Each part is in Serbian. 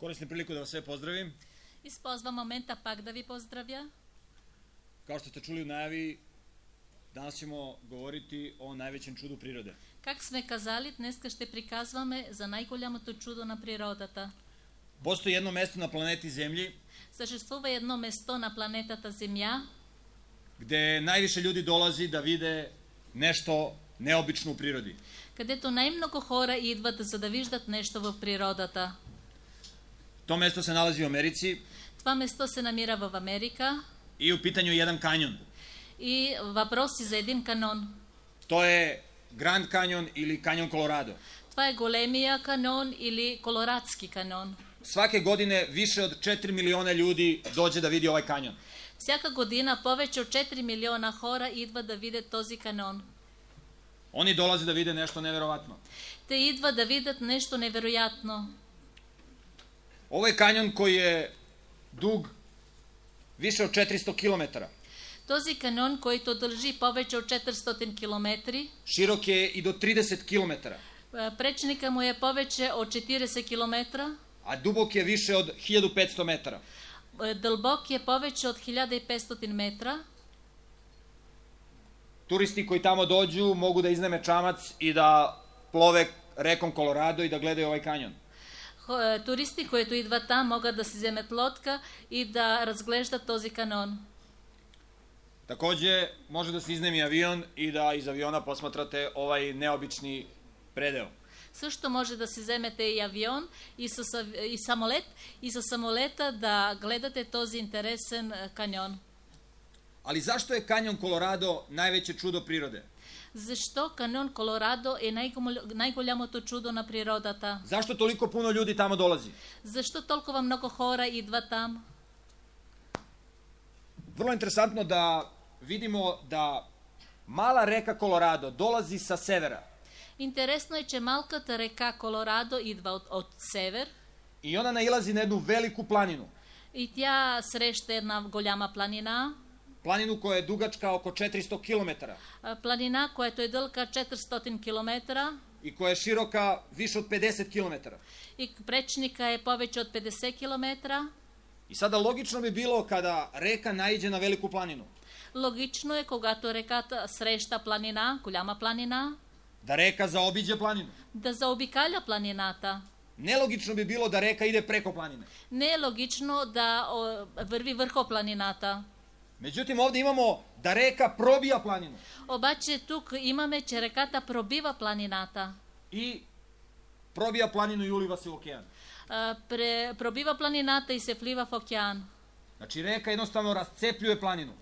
Koristim priliku da vas sve pozdravim. Използвам момента пак да ви поздравя. Kao što ste čuli u najavi, danas ćemo govoriti o najvećem čudu prirode. Как сме казали, днеска ще приказваме за най-голямото чудо на природата. Postoji jedno mesto na planeti Zemlji Съществува едно место на планетата Земя, gde najviše ljudi dolazi da vide nešto neobično u prirodi. където най-много хора идват за да виждат нещо в природата. To mesto se nalazi u Americi Това место се намира в Америка i u pitanju je jedan kanjon. и въпроси за един канон. To je Grand Canyon ili kanjon Colorado. Това е големия канон или колорадски канон. Svake godine više od 4 miliona ljudi dođe da vidi ovaj kanjon. Всяка година повече от 4 милиона хора идват да видят този канон. Oni dolaze da vide nešto neverovatno. Те идват да видят нещо невероятно. Ovo je kanjon koji je dug više od 400 km. Този канон, който дължи повече от 400 км, Širok je i do 30 km, пречника му е повече от 40 км, a dubok je više od 1500 metara. дълбок е повече от 1500 метра. Turisti koji tamo dođu mogu da iznajme čamac i da plove rekom Colorado i da gledaju ovaj kanjon. Туристи, които идват там, могат да си вземат лодка и да разглеждат този канон. Takođe, može da se iznajmi avion i da iz aviona posmatrate ovaj neobični predeo. Също може да си вземете и авион, и самолет, и със самолета да гледате този интересен каньон. Ali zašto je kanjon Colorado najveće čudo prirode? Защо каньон Колорадо е най-голямото чудо на природата? Zašto toliko puno ljudi tamo dolazi? Защо толкова много хора идват там? Vrlo interesantno da vidimo da mala reka Colorado dolazi sa severa Интересно е, че малката река Колорадо идва от север i ona nailazi na jednu veliku planinu. и тя среща една голяма планина. Planinu koja je dugačka oko 400 km Планина, която е дълга 400 км i koja je široka više od 50 km. и пречника е повече от 50 км. I sada logično bi bilo kada reka naiđe na veliku planinu, Логично е, когато реката среща планина, голяма планина, da reka zaobiđe planinu. да заобикаля планината. Nelogično bi bilo da reka ide preko planine. Не е логично да върви върху планината. Međutim, ovdje imamo da reka probija planinu Обаче тук имаме, че реката пробива планината. i probija planinu i uliva se u okean. Пробива планината и се влива в океан. Znači, reka jednostavno rascepljuje planinu.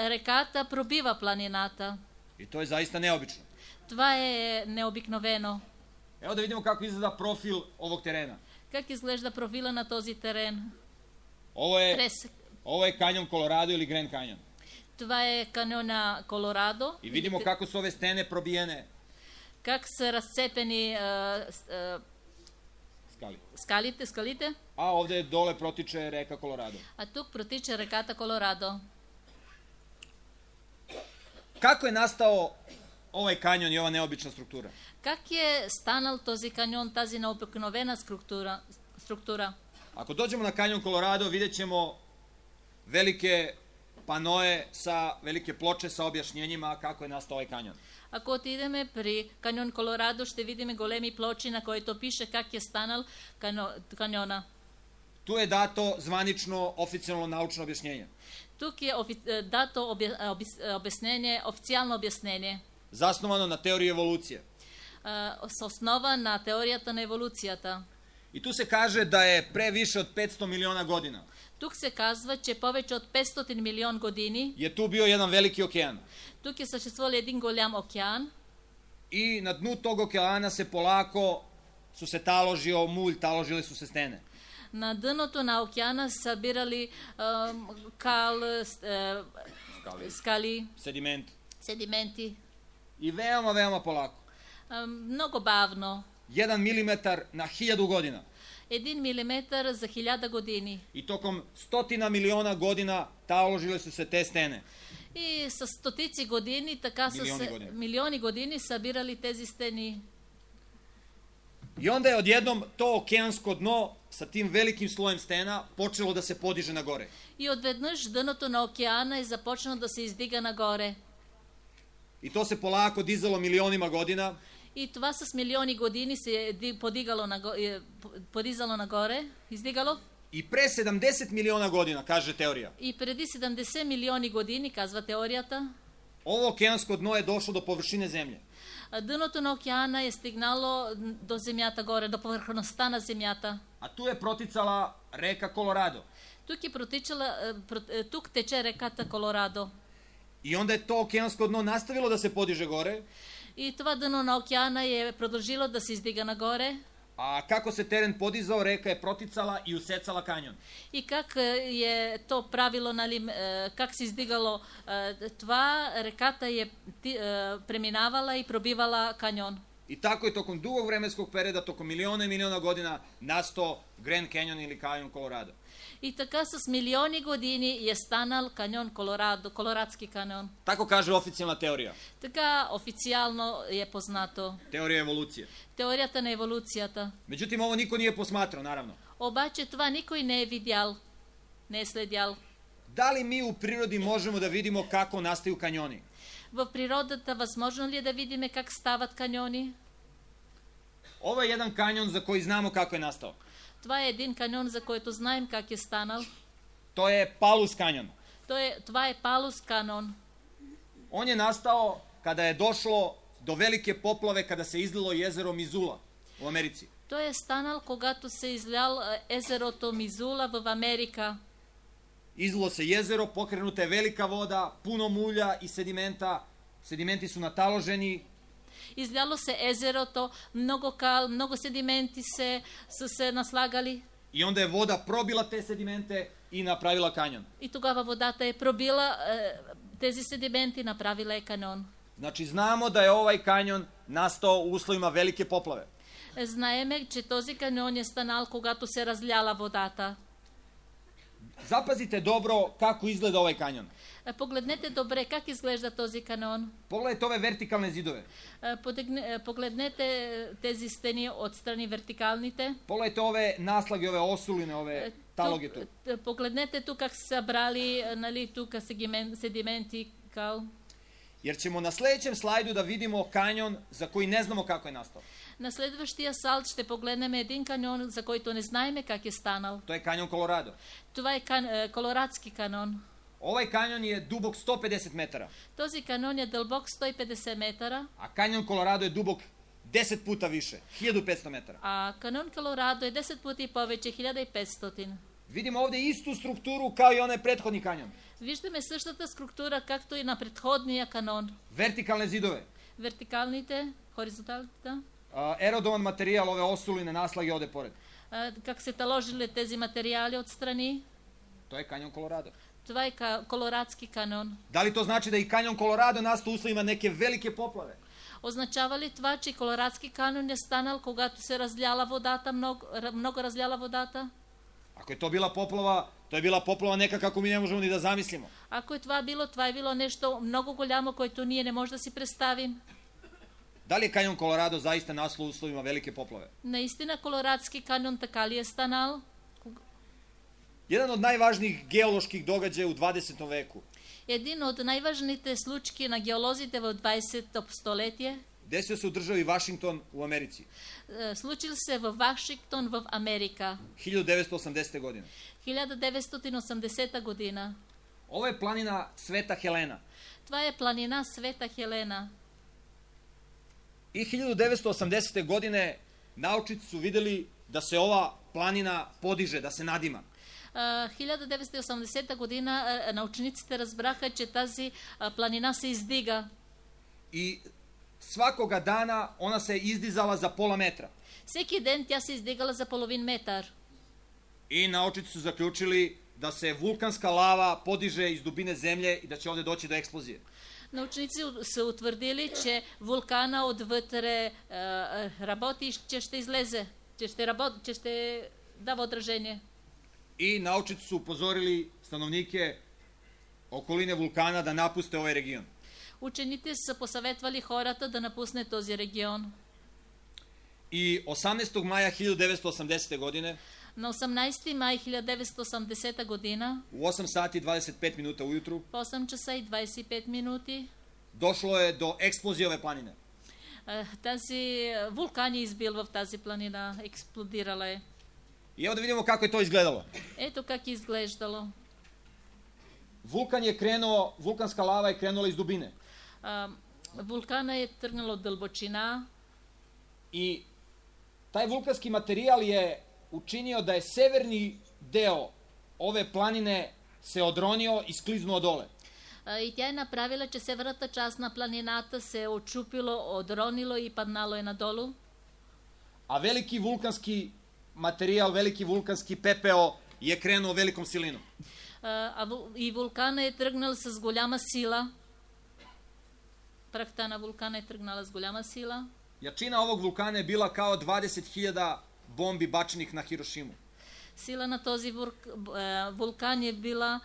Реката пробива планината. I to je zaista neobično. Това е необикновено. Evo da vidimo kako izgleda profil ovog terena. Как изглежда профила на този терен? Ovo je kanjon Colorado ili Grand Canyon. Това е каньона Колорадо. I vidimo kako su ove stene probijene Как са разцепени skali. скалите, A ovde dole protiče reka Colorado. а тук протича реката Колорадо. Kako je nastao ovaj kanjon i ova neobična struktura? Как е станал този каньон, тази необикновена структура? Ako dođemo na kanjon Colorado, vidjet ćemo velike panoe velike ploče sa objašnjenjima kako je nastao ovaj kanjon. Ако отидеме при каньон Колорадо, ще видим големи плочи, на които пише как е станал каньона. Tu je dato zvanično, oficijalno naučno objašnjenje. Тук е дато обяснение, официално обяснение. Zasnovano na teoriji evolucije. С основа на теорията на еволюцията. I tu se kaže da je pre više od 500 miliona godina Тук се казва, че повече от 500 милион години je tu bio jedan veliki okean. тук е съществувал един голям океан I na dnu tog okeana se polako su se taložio mulj, taložile su se stene. на дъното на океана събирали скали, седименти. I veoma polako. Много бавно. 1 milimetar na 1000 godina. 1 милиметър за 1000 години. I tokom 100 miliona godina taložile su se te stene. И с стотици години, така с милиони години събирали тези стени. I onda je odjednom to okeansko dno sa tim velikim slojem stena počelo da se podiže na gore. И одведнъж дъното на океана е започнало да се издига нагоре. I to se polako dizalo milionima godina. И това с милиони години се е подизало нагоре, издигало. I pre 70 miliona godina, kaže teorija, И преди 70 милиони години, казва теорията, ovo okeansko dno je došlo do površine zemlje. дъното на океана е стигнало до земята горе, до повърхността на земята. A tu je proticala reka Kolorado. Тук тече реката Колорадо. I onda je to okeansko dno nastavilo da se podiže gore. И това дъно на океана е продължило да се издига нагоре. A kako se teren podizao, reka je proticala i usecala kanjon. И как е то правило, нали, как се издигало това, реката е преминавала и пробивала каньон. I tako je tokom dugog vremenskog perioda, tokom miliona i miliona godina, nastao Grand Canyon ili kanjon Colorado. И така с милиони години е станал каньон Колорадо, Колорадски каньон. Tako kaže oficijalna teorija. Така официално е познато. Teorija evolucije. Теорията на еволюцията. Međutim, ovo niko nije posmatrao, naravno. Обаче това никой не е видял, не е следял. Da li mi u prirodi možemo da vidimo kako nastaju kanjoni? В природата възможно ли е да видим как стават каньони? Ovo je jedan kanjon za koji znamo kako je nastao. Това е един каньон, за който знаем как е станал. To je Palus kanjon. Това е Палус каньон. On je nastao kada je došlo do velike poplave, kada se izlilo jezero Mizula u Americi. Той е станал, когато се излял езерото Мизула в Америка. Izlilo se jezero, pokrenuta je velika voda, puno mulja i sedimenta. Sedimenti su nataloženi. Изляло се езерото, много кал, много седименти са се наслагали. I onda je voda probila te sedimente i napravila kanjon. И тогава водата е пробила тези седименти, направила е каньон. Znači, znamo da je ovaj kanjon nastao u uslovima velike poplave. Знаеме, че този каньон е станал, когато се разляла водата. Zapazite dobro kako izgleda ovaj kanjon. Погледнете добре как изглежда този каньон. Pogledajte ove vertikalne zidove. Погледнете тези стени отстрани вертикалните. Pogledajte ove naslage, ove osuline, ove taloge tu. Погледнете тук как са събрали, нали, тук седименти, кал. Jer ćemo na sljedećem slajdu da vidimo kanjon za koji ne znamo kako je nastao. На следващия салт ще погледнем един каньон, за който не знаем как е станал. To je kanjon Colorado. Това е Колорадски каньон. Ovaj kanjon je dubok 150 metara, Този каньон е дълбок 150 метра, a kanjon Colorado je dubok 10 puta više, 1500 metara. а каньон Колорадо е 10 пъти повече, 1500. Vidimo ovdje istu strukturu kao i onaj prethodni kanjon. Виждаме същата структура, както и на предходния каньон. Vertikalne zidove, Вертикалните, хоризонталните, erodovan materijal, ove osuline, naslage ovde pored. как се таложили тези материали отстрани. To je kanjon Colorado. Това е Колорадски каньон. Da li to znači da i kanjon Colorado nastao u uslovima neke velike poplave? Означава ли това, че Колорадски каньон е станал, когато се разляла водата, много разляла водата? Ako je to bila poplava, to je bila poplava neka kako mi ne možemo ni da zamislimo. Ако е това е било нещо много голямо, което ние не можем да си представим. Da li je kanjon Colorado zaista nastao u uslovima velike poplave? Наистина Колорадски каньон така ли е станал? Jedan od najvažnijih geoloških događaja u 20. veku Един от най-важните случки на геолозите в 20. столетие desio se u državi Washington u Americi. случил се в Вашингтон в Америка 1980. godine. 1980 година. Ovo je planina Sveta Helena. Това е планина Света Хелена. I 1980. godine naučnici su videli da se ova planina podiže, da se nadima. 1980 година научниците разбраха, че тази планина се издига. I svakoga dana ona se izdizala za pola metra. Всеки ден тя се издигала за половин метър. I naučnici su zaključili da se vulkanska lava podiže iz dubine zemlje i da će ovdje doći do eksplozije. Научници са утвърдили, че вулкана отвътре работи и че ще излезе, че ще дава отражение. I naučnici su upozorili stanovnike okoline vulkana da napuste ovaj region. Учените са посъветвали хората да напусне този регион. I 18. maja 1980. godine На 18 май 1980 година, u 8 sati 25 minuta ujutru, в 8 часа и 25 минути, došlo je do eksplozije ove planine. тази вулкан е избил в тази планина, експлодирала е. I evo da vidimo kako je to izgledalo. Ето как е изглеждало. Vulkan je krenuo, vulkanska lava je krenula iz dubine. Вулкана е тръгнал от дълбочина I taj vulkanski materijal je učinio da je severni deo ove planine se odronio i skliznuo dole. И тя е направила, че северната част на планината се е очупило, одронило и паднало е надолу. A veliki vulkanski materijal, veliki vulkanski pepeo je krenuo velikom silinom. И вулкана е тръгнал с голяма сила. Прахта на вулкана е тръгнала с голяма сила. Jačina ovog vulkana je bila kao 20.000 bombi bačenih na Hirošimu. Сила на този вулкан е била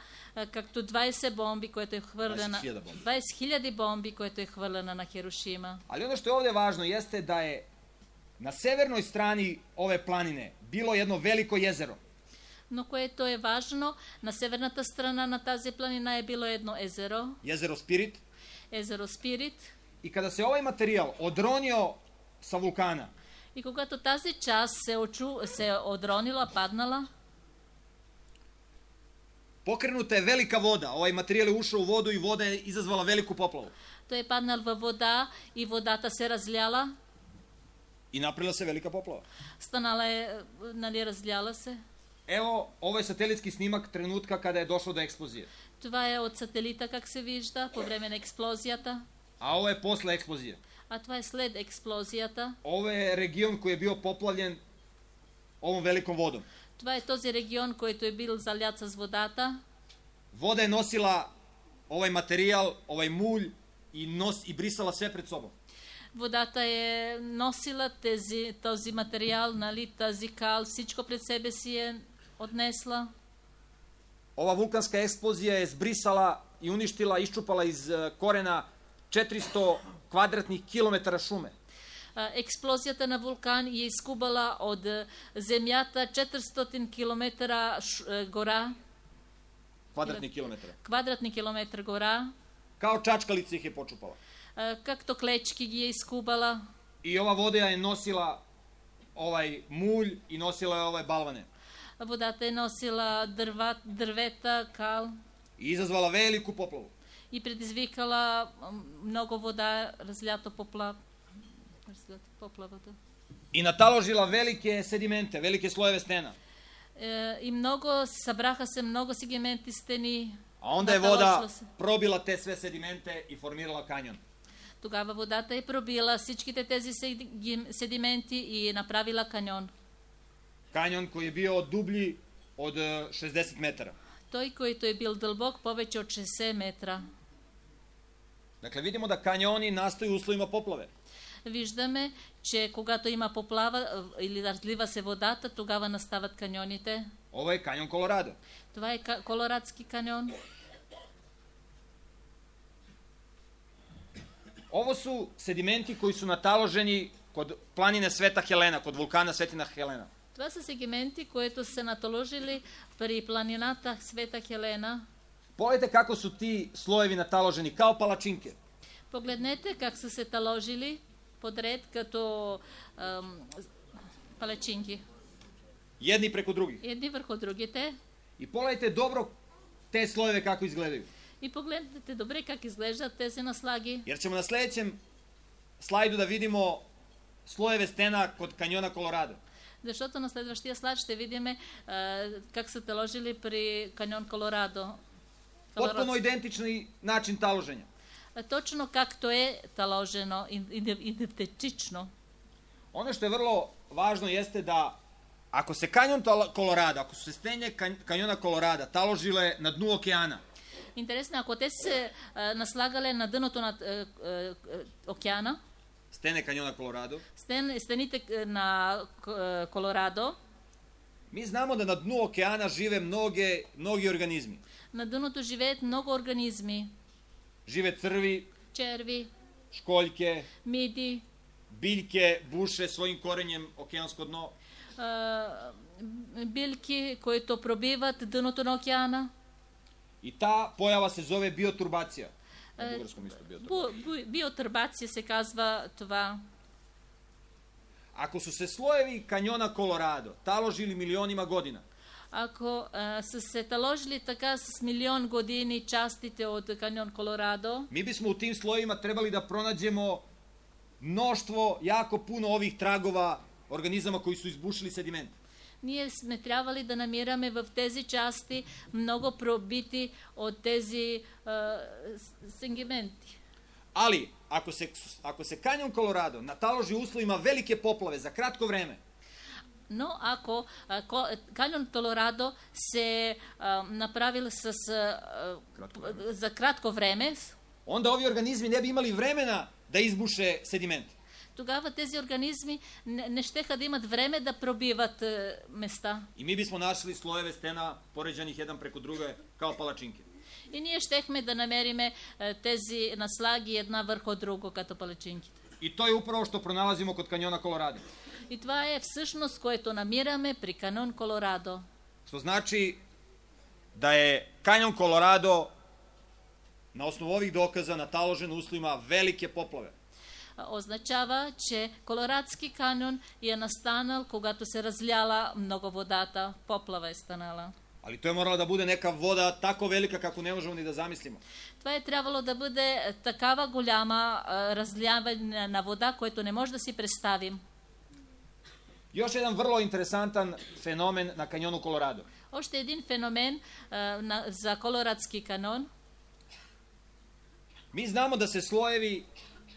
както 20 бомби, което е хвърлена. 20.000 бомби, което е хвърлена на Хирошима. Ali ono što je ovdje važno jeste da je na severnoj strani ove planine bilo jedno veliko jezero. Но което е важно, на северната страна на тази планина е било едно езеро. Jezero Spirit. Езеро Спирит. I kada se ovaj materijal odronio sa vulkana, И когато тази част се е одронила, паднала, pokrenuta je velika voda. Ovaj materijal je ušao u vodu i voda je izazvala veliku poplavu. той е паднал във вода и водата се разляла. I napravila se velika poplava. Станала е, нали, разляла се. Evo, ovo je satelitski snimak trenutka kada je došlo do eksplozije. Това е от сателита, как се вижда, по време на експлозията. A ovo je posle eksplozije. А това е след експлозията. Ovo je region koji je bio poplavljen ovom velikom vodom. Това е този регион, който е бил залят с водата. Voda je nosila ovaj materijal, ovaj mulj i brisala sve pred sobom. Водата е носила този материал, нали, тази кал, всичко пред себе си е odnesla. Ova vulkanska eksplozija je zbrisala i uništila, iščupala iz korena 400 kvadratnih kilometara šume. Експлозията на вулкан е изкубала от земята 400 км гора. Квадратни километра гора. Kao čačkalica ih je počupala. Както клечки ги е изкубала. I ova voda je nosila ovaj mulj i nosila je ove balvane. Водата е носила дървета, кал. I izazvala veliku poplavu. И предизвикала много вода, разлято поплавата. I nataložila velike sedimente, velike slojeve stena. И много, събраха се много сегменти стени. A onda je voda probila te sve sedimente i formirala kanjon. Тогава водата е пробила всичките тези седименти и е направила каньон. Kanjon koji je bio dublji od 60 metara. Той, който е бил дълбок повече от 60 метра. Dakle, vidimo da kanjoni nastaju u uslovima poplave. Виждаме, че когато има поплава или разлива се водата, тогава настават каньоните. Ovo je kanjon Kolorado. Това е Колорадски каньон. Ovo su sedimenti koji su nataloženi kod planine Sveta Helena, kod vulkana Svetina Helena. Това са сегменти, които се натоложили при планината Света Хелена. Pogledajte kako su ti slojevi nataloženi, kao palačinke. Погледнете как са се таложили подред като палачинки. Jedni preko drugih. Едни върху другите. I pogledajte dobro te slojeve kako izgledaju. И погледнете добре как изглеждат тези наслаги. Jer ćemo na sljedećem slajdu da vidimo slojeve stena kod kanjona Kolorado. Защото на следващия слайд ще видим как са таложили при каньон Колорадо. Potpuno identični način taloženja. Точно както е таложено, идентично. Ono što je vrlo važno jeste da ako se kanjon Kolorado, ako su se stenje kanjona Kolorada taložile na dnu okeana, интересно, ако те се наслагали на дъното на океана, stene kanjona Kolorado, стените на Колорадо, mi znamo da na dnu okeana žive mnogi organizmi. На дъното живеят много организми. Žive crvi, Черви, školjke, миди, biljke buše svojim korenjem okeansko dno. Biljki които пробиват дъното на океана. I ta pojava se zove bioturbacija. Na bugarskom isto bioturbacija. Биотурбация се казва това. Ako su se slojevi kanjona Colorado taložili milionima godina, Ако са се таложили така с милион години частите от каньон Колорадо, mi bismo u tim slojevima trebali da pronađemo mnoštvo, jako puno ovih tragova organizama koji su izbušili sediment. ние сме трябвали да намираме в тези части много пробити от тези сегменти. Ali, ako se kanjon Colorado nataloži u uslovima velike poplave za kratko vreme, Но ако каньон Колорадо се направил за кратко време, onda ovi organizmi ne bi imali vremena da izbuše sediment. тогава тези организми не щеха да имат време да пробиват места. I mi bismo našli slojeve stena poređanih jedan preko druge kao palačinke. И ние щехме да намериме тези наслаги една върху друго като палачинките. I to je upravo što pronalazimo kod kanjona Colorado. И това е всъщност, което намираме при каньон Колорадо. Što znači da je kanjon Colorado na osnovu ovih dokaza nataložen uslovima velike poplave. Означава, че Колорадски каньон е настанал, когато се разляла много водата, поплава е станала. Ali to je morala da bude neka voda tako velika kako ne možemo ni da zamislimo. Това е трябвало да бъде такава голяма разляване на вода, което не може да си представим. Još jedan vrlo interesantan fenomen na kanjonu Colorado. Още един феномен за Колорадски каньон. Mi znamo da se slojevi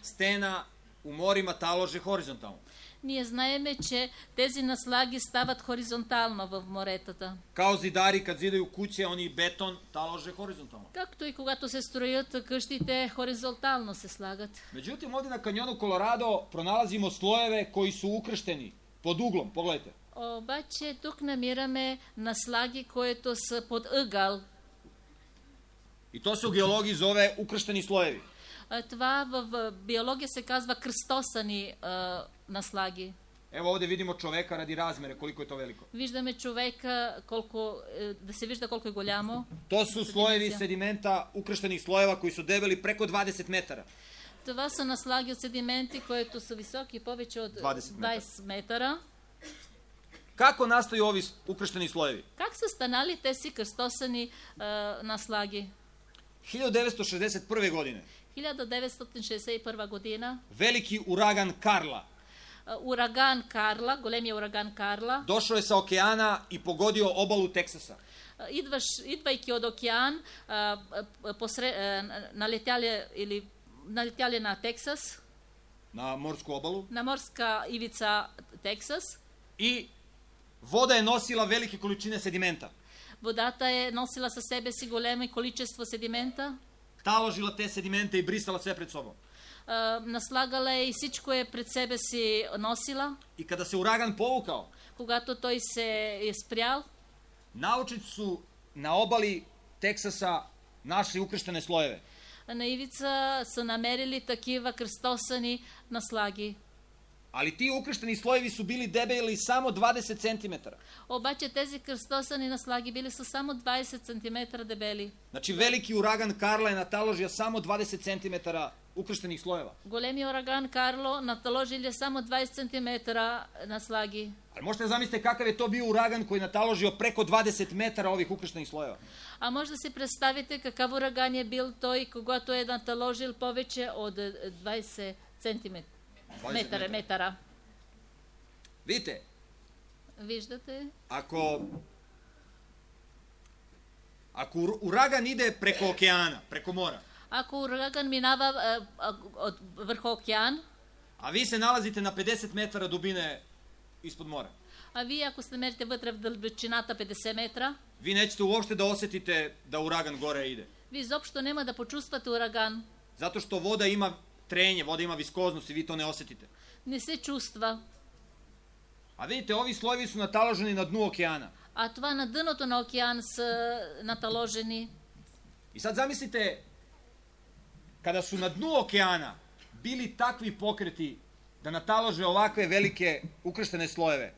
stena u morima talože horizontalno. Ние знаеме, че тези наслаги стават хоризонтално в моретата. Kao zidari kad zidaju kuće, oni beton talože horizontalno. Както и когато се строят къщите, хоризонтално се слагат. Međutim, ovdje na kanjonu Colorado pronalazimo slojeve koji su ukršteni pod uglom. Pogledajte. Обаче тук намираме наслаги, които са под ъгъл. I to se u geologiji zove ukršteni slojevi. Това в биология се казва кръстосани наслаги. Evo ovdje vidimo čoveka radi razmere, koliko je to veliko. Виждаме човека, да се вижда колко е голямо. To su slojevi sedimenta, ukrštenih slojeva koji su debeli preko 20 metara. Това са наслаги от седименти, които са високи повече от 20 метра. Kako nastaju ovi ukršteni slojevi? Как са станали тези кръстосани наслаги? 1961. godine 1961 година veliki uragan Karla ураган Карла, големия ураган Карла, došao je sa okeana i pogodio obalu Teksasa. Идвайки от океан, налетяли на Тексас, na morsku obalu, на морска ивица Тексас. I voda je nosila velike količine sedimenta. Водата е носила със себе си големо количество седимента. Taložila te sedimente i brisala sve pred sobom. Наслагала е и всичко е пред себе си носила. I kada se uragan povukao, Когато той се е спрял, naučnici su na obali Teksasa našli ukrštene slojeve. на ивица са намерили такива кръстосани наслаги. Ali ti ukršteni slojevi su bili debeli samo 20 cm. Обаче тези кръстосани наслаги били са само 20 см дебели. Znači veliki uragan Karla je nataložio samo 20 cm ukrštenih slojeva. Големи ураган Карло наталожили само 20 см наслаги. Ali možete zamislite kakav je to bio uragan koji je nataložio preko 20 metara ovih ukrštenih slojeva. А може да си представите какъв ураган е бил той, когато е наталожил повече от 20 см. Метара. Vidite, Виждате? ako uragan ide preko okeana, preko mora, Ако ураган минава върху океан, a vi se nalazite na 50 metara dubine ispod mora, а вие ако се намерите вътре в дълбочината 50 метра, vi nećete uopšte da osetite da uragan gore ide. вие изобщо няма да почувствате ураган. Zato što voda ima trenje, voda ima viskoznost i vi to ne osetite. Не се чувства. A vidite, ovi slojevi su nataloženi na dnu okeana. А това на дъното на океан са наталожени. I sad zamislite, kada su na dnu okeana bili takvi pokreti da natalože ovakve velike ukrštene slojeve.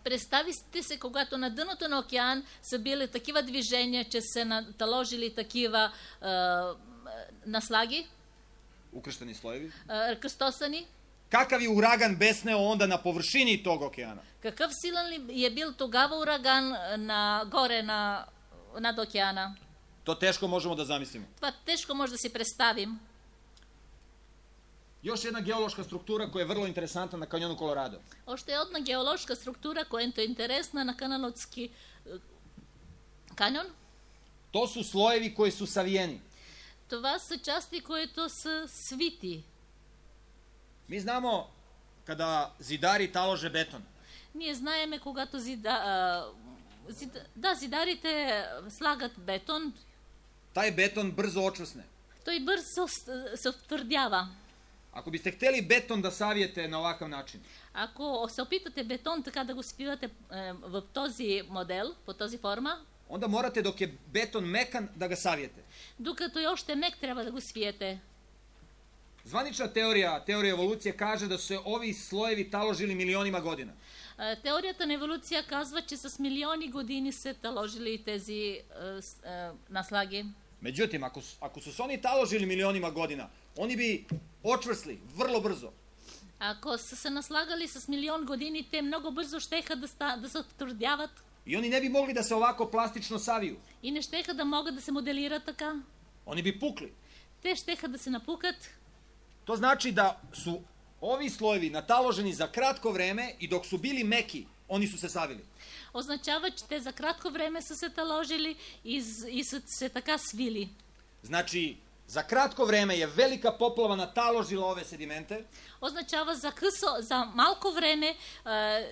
Представите се, когато на дъното на океан са били такива движения, че се наталожили такива наслаги, Ukršteni slojevi. кръстосани. Kakav je uragan besneo onda na površini tog okeana? Какъв силен ли е бил тогава ураган горе над океана? To teško možemo da zamislimo. Това тежко може да си представим. Još jedna geološka struktura koja je vrlo interesantna na kanjonu Colorado. Още една геоложка структура, която е интересна на Каналотски каньон. To su slojevi koji su savijeni. Това са части, които са свити. Mi znamo kada zidari talože beton. Ние знаеме, когато зидарите слагат бетон, Taj beton brzo očvrsne. той бързо се втвърдява. Ako biste hteli beton da savijete na ovakav način, Ако се опитате бетон така да го свивате в този модел, по този форма, onda morate dok je beton mekan da ga savijete. докато е още мек, трябва да го свиете. Zvanična teorija evolucije kaže da su se ovi slojevi taložili milionima godina. Теорията на еволюция казва, че с милиони години се таложили тези наслаги. Međutim, ako su se oni taložili milionima godina, oni bi očvrsli vrlo brzo. Ако са се наслагали с милион години, те много бързо щеха да се втвърдяват I oni ne bi mogli da se ovako plastično saviju. и не щеха да могат да се моделират така. Oni bi pukli. Те щеха да се напукат. To znači da su ovi slojevi nataloženi za kratko vreme i dok su bili meki, oni su se savili. Означава, че те за кратко време са се таложили и са се така свили. Znači, za kratko vreme je velika poplava nataložila ove sedimente. Означава за малко време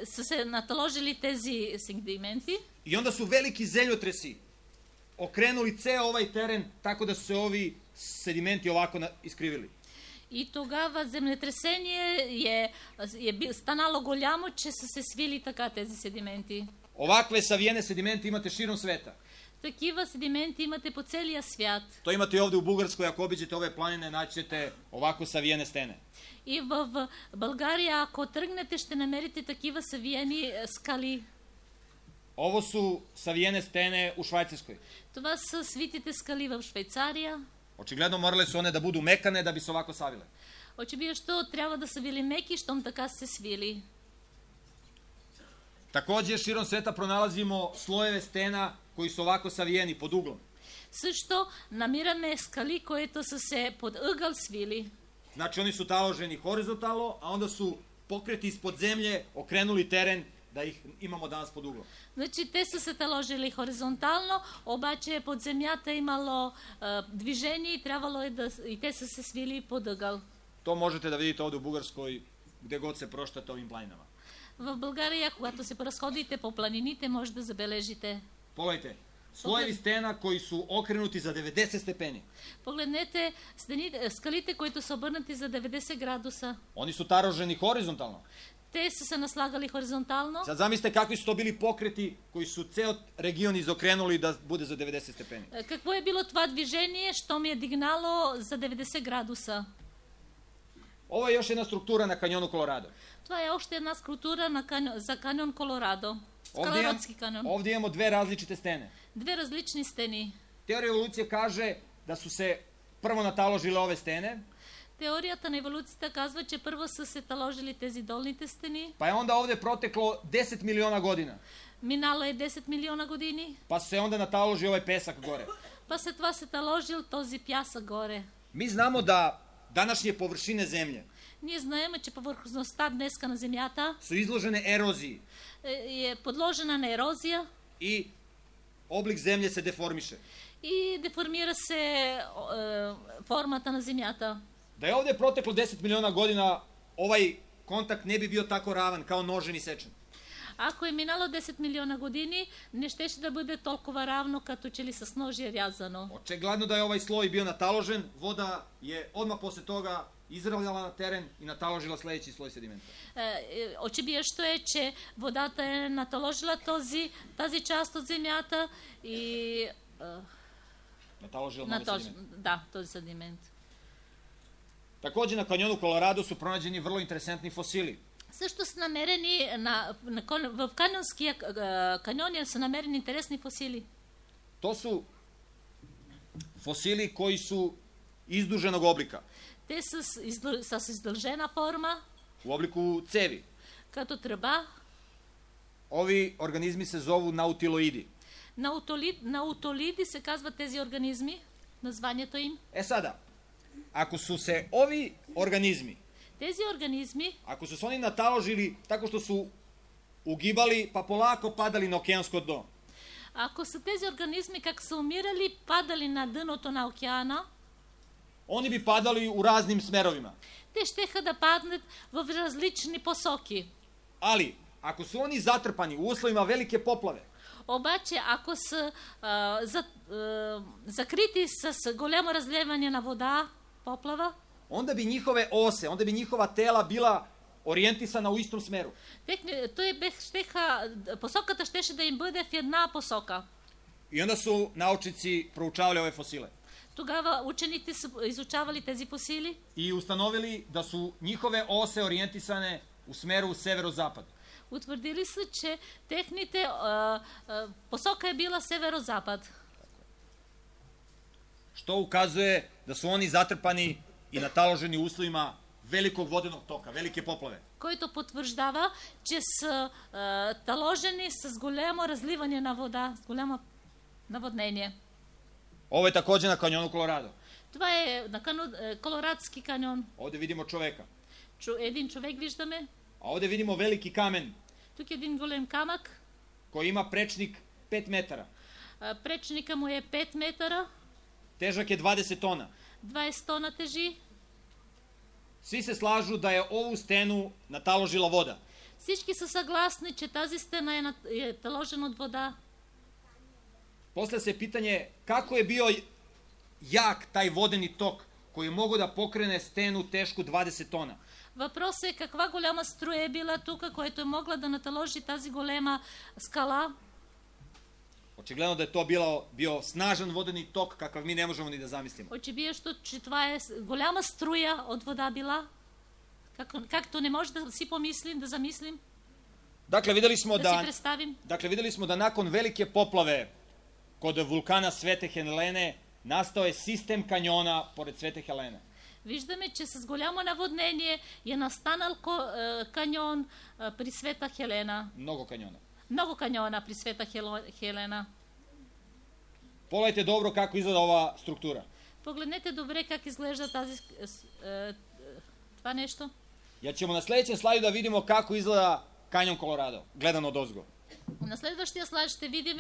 са се наталожили тези сегменти. I onda su veliki zemljotresi okrenuli ceo ovaj teren tako da su se ovi sedimenti ovako iskrivili. И тогава землетресение е станало голямо, че са се свили така тези седименти. Ovakve savijene sedimente imate širom sveta. Такива седименти имате по целия свят. To imate i ovde u Bugarskoj, ako obiđete ove planine, naćete ovako savijene stene. И в България, ако тръгнете, ще намерите такива savijeni скали. Ovo su savijene stene u Švajcarskoj. Това са свитите скали в Швейцария. Očigledno morale su one da budu mekane da bi se ovako savile. Очевидно трябва да са били меки, щом така се свили. Takođe, širom sveta pronalazimo slojeve stena koji su ovako savijeni pod uglom. Също намираме скали, които са се под ъгъл свили. Znači, oni su taloženi horizontalno, a onda su pokreti ispod zemlje okrenuli teren da ih imamo danas pod uglom. Значи те са се таложили хоризонтално, обаче под земята имало движение и трябвало и те са се свили под ъгъл. To možete da vidite ovde u Bugarskoj, gde god se proštate ovim planinama. В България, когато се разходите по планините, може да забележите. Pogledajte, slojevi stena koji su okrenuti za 90 stepeni. Погледнете скалите, които са обърнати за 90 градуса. Oni su taloženi horizontalno. Те са се наслагали хоризонтално. Sad zamislite kakvi su to bili pokreti koji su ceo region izokrenuli da bude za 90 stepeni. Какво е било това движение, що ми е дигнало за 90 градуса? Ovo je još jedna struktura na kanjonu Colorado. Това е още една скулптура за каньон Колорадо. Скалородски каньон. Ovdje imamo dve različite stene. Две различни стени. Teorija evolucije kaže da su se prvo nataložile ove stene. Теорията на еволюцията казва, че първо са се таложили тези долните стени. Pa je onda ovde proteklo 10 miliona godina. Минало е 10 милиона години. Pa se onda nataloži ovaj pesak gore. Па след това се таложил този пясък горе. Mi znamo da današnje površine zemlje Ние знаем, че повърхността днеска на земята su izložene eroziji е подложена на ерозия i oblik zemlje se deformiše. и деформира се формата на земята. Da je ovde proteklo 10 miliona godina, ovaj kontakt ne bi bio tako ravan kao nožen i sečen. Ако е минало 10 милиона години, не щеше да бъде толкова равно, като че ли с ножи рязано. Očigledno da je ovaj sloj bio nataložen, voda je odmah posle toga izravljala na teren i nataložila sledeći sloj sedimenta. Очевидно е, че водата е наталожила тази част от земята и Nataložila nove sedimente. Да, този седимент. Takođe na kanjonu Kolorado su pronađeni vrlo interesantni fosili. Също са намерени в Каньонския каньон са намерени интересни фосили. To su fosili koji su izduženog oblika. Те са с издължена форма, U obliku cevi. като тръба. Ovi organizmi se zovu nautiloidi. Наутолиди се казват тези организми, названието им. Sada, ako su se ovi organizmi, Тези организми, ako su se oni nataložili tako što su ugibali pa polako padali na okeansko dno, ако са тези организми как са умирали, падали на дъното на океана, oni bi padali u raznim smerovima. те щеха да паднат в различни посоки. Ali, ako su oni zatrpani u uslovima velike poplave, Обаче, ако са закрити с голямо разливане на вода, поплава, onda bi njihove ose, onda bi njihova tela bila orijentisana u istom smeru. посоката щеше да им бъде в една посока. I onda su naučnici proučavali ove fosile. Тогава учените са изучавали тези фосили I ustanovili da su njihove ose orijentisane u smeru severozapad. Утвърдили са, че техните посока е била северо-запад. Što ukazuje da su oni zatrpani i nataloženi u uslovima velikog vodenog toka, velike poplave. Който потвърждава, че са таложени с голямо разливане на вода, с голямо наводнение. Ovo je takođe na kanjonu Kolorado. Това е на Колорадски каньон. Ovde vidimo čoveka. Един човек виждаме. A ovde vidimo veliki kamen Тук е един голем камък. koji ima prečnik 5 metara. Пречника му е 5 метра. Težak je 20 tona. 20 тона тежи. Svi se slažu da je ovu stenu nataložila voda. Всички са съгласни, че тази стена е таложена от вода. Postavlja se pitanje kako je bio jak taj vodeni tok koji je mogao da pokrene stenu tešku 20 tona. Въпросът е каква голяма струя е била тук, което е могла да наталожи тази голема скала. Očigledno da je to bio snažan vodeni tok kakav mi ne možemo ni da zamislimo. Очевидно, че това е голяма струя от вода била, както не може да си помислим, да замислим, Dakle, videli smo da nakon velike poplave kod vulkana Svete Helene nastao je sistem kanjona pored Svete Helene. Виждаме, че с голямо наводнение е настанал каньон при Света Хелена. Mnogo kanjona. Много каньона при Света Хелена. Pogledajte dobro kako izgleda ova struktura. Погледнете добре как изглежда това нещо. Ja ćemo na sledećem slajdu da vidimo kako izgleda kanjon Kolorado, gledano od ozgo. На следващия слайд ще видим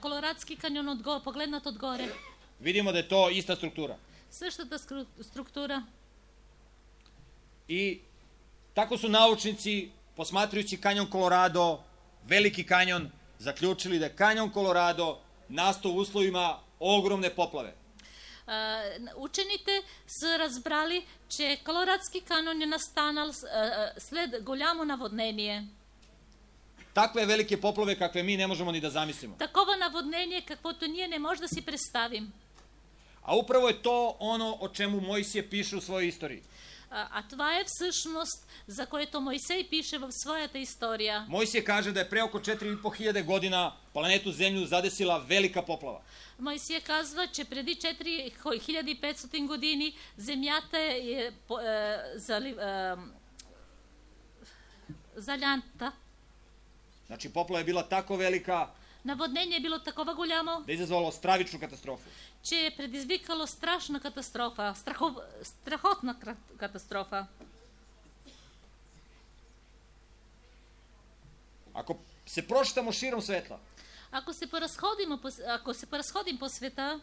Колорадски каньон погледнат отгоре. Vidimo da je to ista struktura. Същата структура. I tako su naučnici, posmatrajući kanjon Kolorado, veliki kanjon, zaključili da je kanjon Kolorado nastao u uslovima ogromne poplave. Учените са разбрали, че Колорадски каньон е настанал след голямо наводнение. Takve velike poplave kakve mi ne možemo ni da zamislimo. Такова наводнение, каквото ние не може да си представим. A upravo je to ono o čemu Mojsije piše u svojoj istoriji. А това е всъщност, за което Мойсей пише в своята история. Mojsije kaže da je pre oko 4.500 godina planetu Zemlju zadesila velika poplava. Мойсия казва, че преди 4500 години земята е залята. Znači, poplava je bila tako velika Наводнение е било такова голямо, da je izazvalo stravičnu katastrofu. че е предизвикало страшна катастрофа, страхотна катастрофа. Ako se prošetamo širom svetla Ако се поразходим по света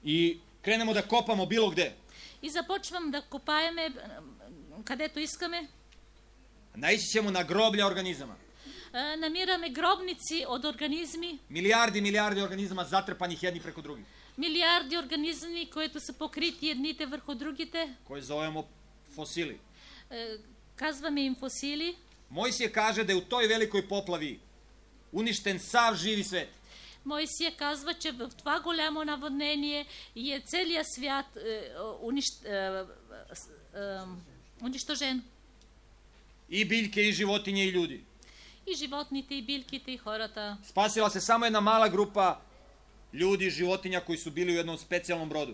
i krenemo da kopamo bilo gde, и започвам да копаеме където искаме, naići ćemo na groblja organizama. намираме гробници от организми, Milijardi organizama zatrpanih jedni preko drugih, милиарди организми, които са покрити едните върху другите. koje zovemo fosili. Казваме им фосили. Mojsije kaže da je u toj velikoj poplavi uništen sav živi svet. Моисия казва, че в това голямо наводнение е целият свят унищожен. И biljke, i životinje, i ljudi. И животните, и билките, и хората. Spasila se samo jedna mala grupa ljudi, životinja koji su bili u jednom specijalnom brodu.